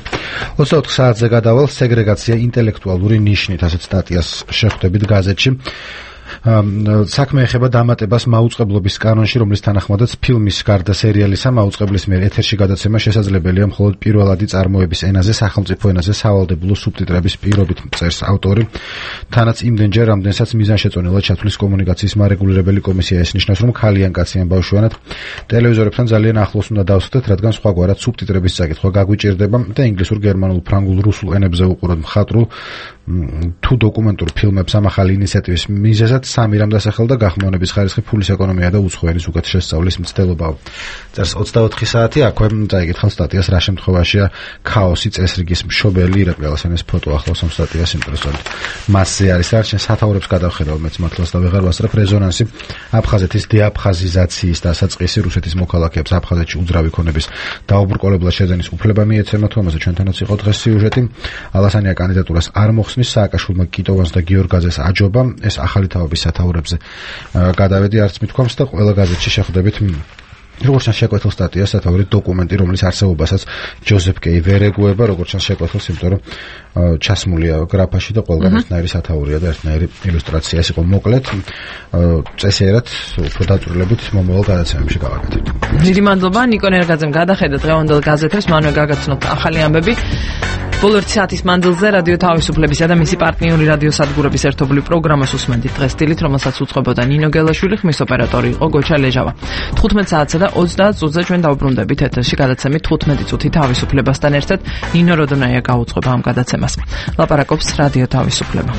ოცდაოთხ საათზე გადავალ სეგრეგაცია ინტელექტუალური ნიშნით ასეთ სტატიას შეხვდებით გაზეთში. საქმე ეხება დამატებას მაუწყებლობის კანონში, რომლის თანახმადაც ფილმის გარდა სერიალისა მაუწყებლის მიერ ეთერში გადაცემა შესაძლებელია მხოლოდ პირველადი წარმოების ენაზე, სახელმწიფო ენაზე სავალდებულო სუბტიტრების პირობით, წერს ავტორი. თანაც იმდენჯერ, რამდენსაც მიზანშეწონილად ჩათვლის კომუნიკაციის მარეგულირებელი კომისია ესნიშნავს, რომ ქალიან კაციან ბავშვიანად ტელევიზორებთან ძალიან ახლოს უნდა დავსვდეთ, რადგან სხვაგვარად სუბტიტრების წაკითხვა გაგვიჭირდება და ინგლისურ, გერმანულ, ფრანგულ, რუსულ ენებზე უყუროთ მხატვრულ თუ დოკუმენტურ ფილმებს ამ ახალი ინიციატივის მიზეზად სამი რამ დასახელდა გახმოვანების ხარისხი, ფულის ეკონომია და უცხოენის უკეთ შესწავლის მცდელობა. წერს ოცდაოთხი საათი, აქვე წაიკითხავ სტატიას რა შემთხვევაშია ქაოსი წესრიგის მშობელი. ირაკლი ალასანის ფოტო ახლავს ამ სტატიას იმპრესონით. მასზე არის არჩენ სათაურებს გადავხედავ მეც მართლაც და ვეღარ ვასწრებ რეზონანსი აფხაზეთის დეაფხაზიზაციის დასაწყისი რუსეთის მოქალაქეებს აფხაზეთში უძრავი ქონების დაუბრკოლებლად შეძენის უფლება მიეცემათ, ამაზე ჩვენთანაც იყო დღეს სიუჟეტი. ალასანია კანდიდატურას არ მოხსნის, სააკაშვილმა კიტოვანს და გიორგაძეს აჯობა. ეს ახალი თავების სათაურებზე გადავედი არც მithქვამს და ყველა გაზეთში შეხვდებით როგორც ჩანს შეკვეთილ სტატიას, სათაური დოკუმენტი, რომლის არსებობასაც ჯოზეფ კეი ვერ ეგუება, როგორც ჩანს შეკვეთილს, იმიტომ რომ ჩასმულია გრაფაში და ყველგან ერთნაირი სათაურია და ერთნაირი ილუსტრაცია. ეს იყო მოკლედ წესიერად უფრო დაწვრილებით მომავალ გადაცემებში გავაკეთებთ. დიდი მადლობა ნიკო ნერგაძემ გადახედა დღევანდელ გაზეთებს, მანვე გაგაცნოთ ახალი ამბები. ბოლო ერთი საათის მანძილზე რადიო თავისუფლებისა და მისი პარტნიორი რადიო სადგურების ერთობლივ პროგრამას უსმენდით დღეს დილით, რომელსაც უწყობოდა ნინო გელაშვილი, ხმის ოპერატორი იყო გოჩა ლეჟავა. თხუთმეტ საათსა და ოცდაათ წუთზე ჩვენ დავბრუნდებით ეთერში გადაცემით თხუთმეტი წუთი თავისუფლებასთან ერთად. ნინო როდონაია გაუწყობა ამ გადაცემას. ლაპარაკობს რადიო თავისუფლება.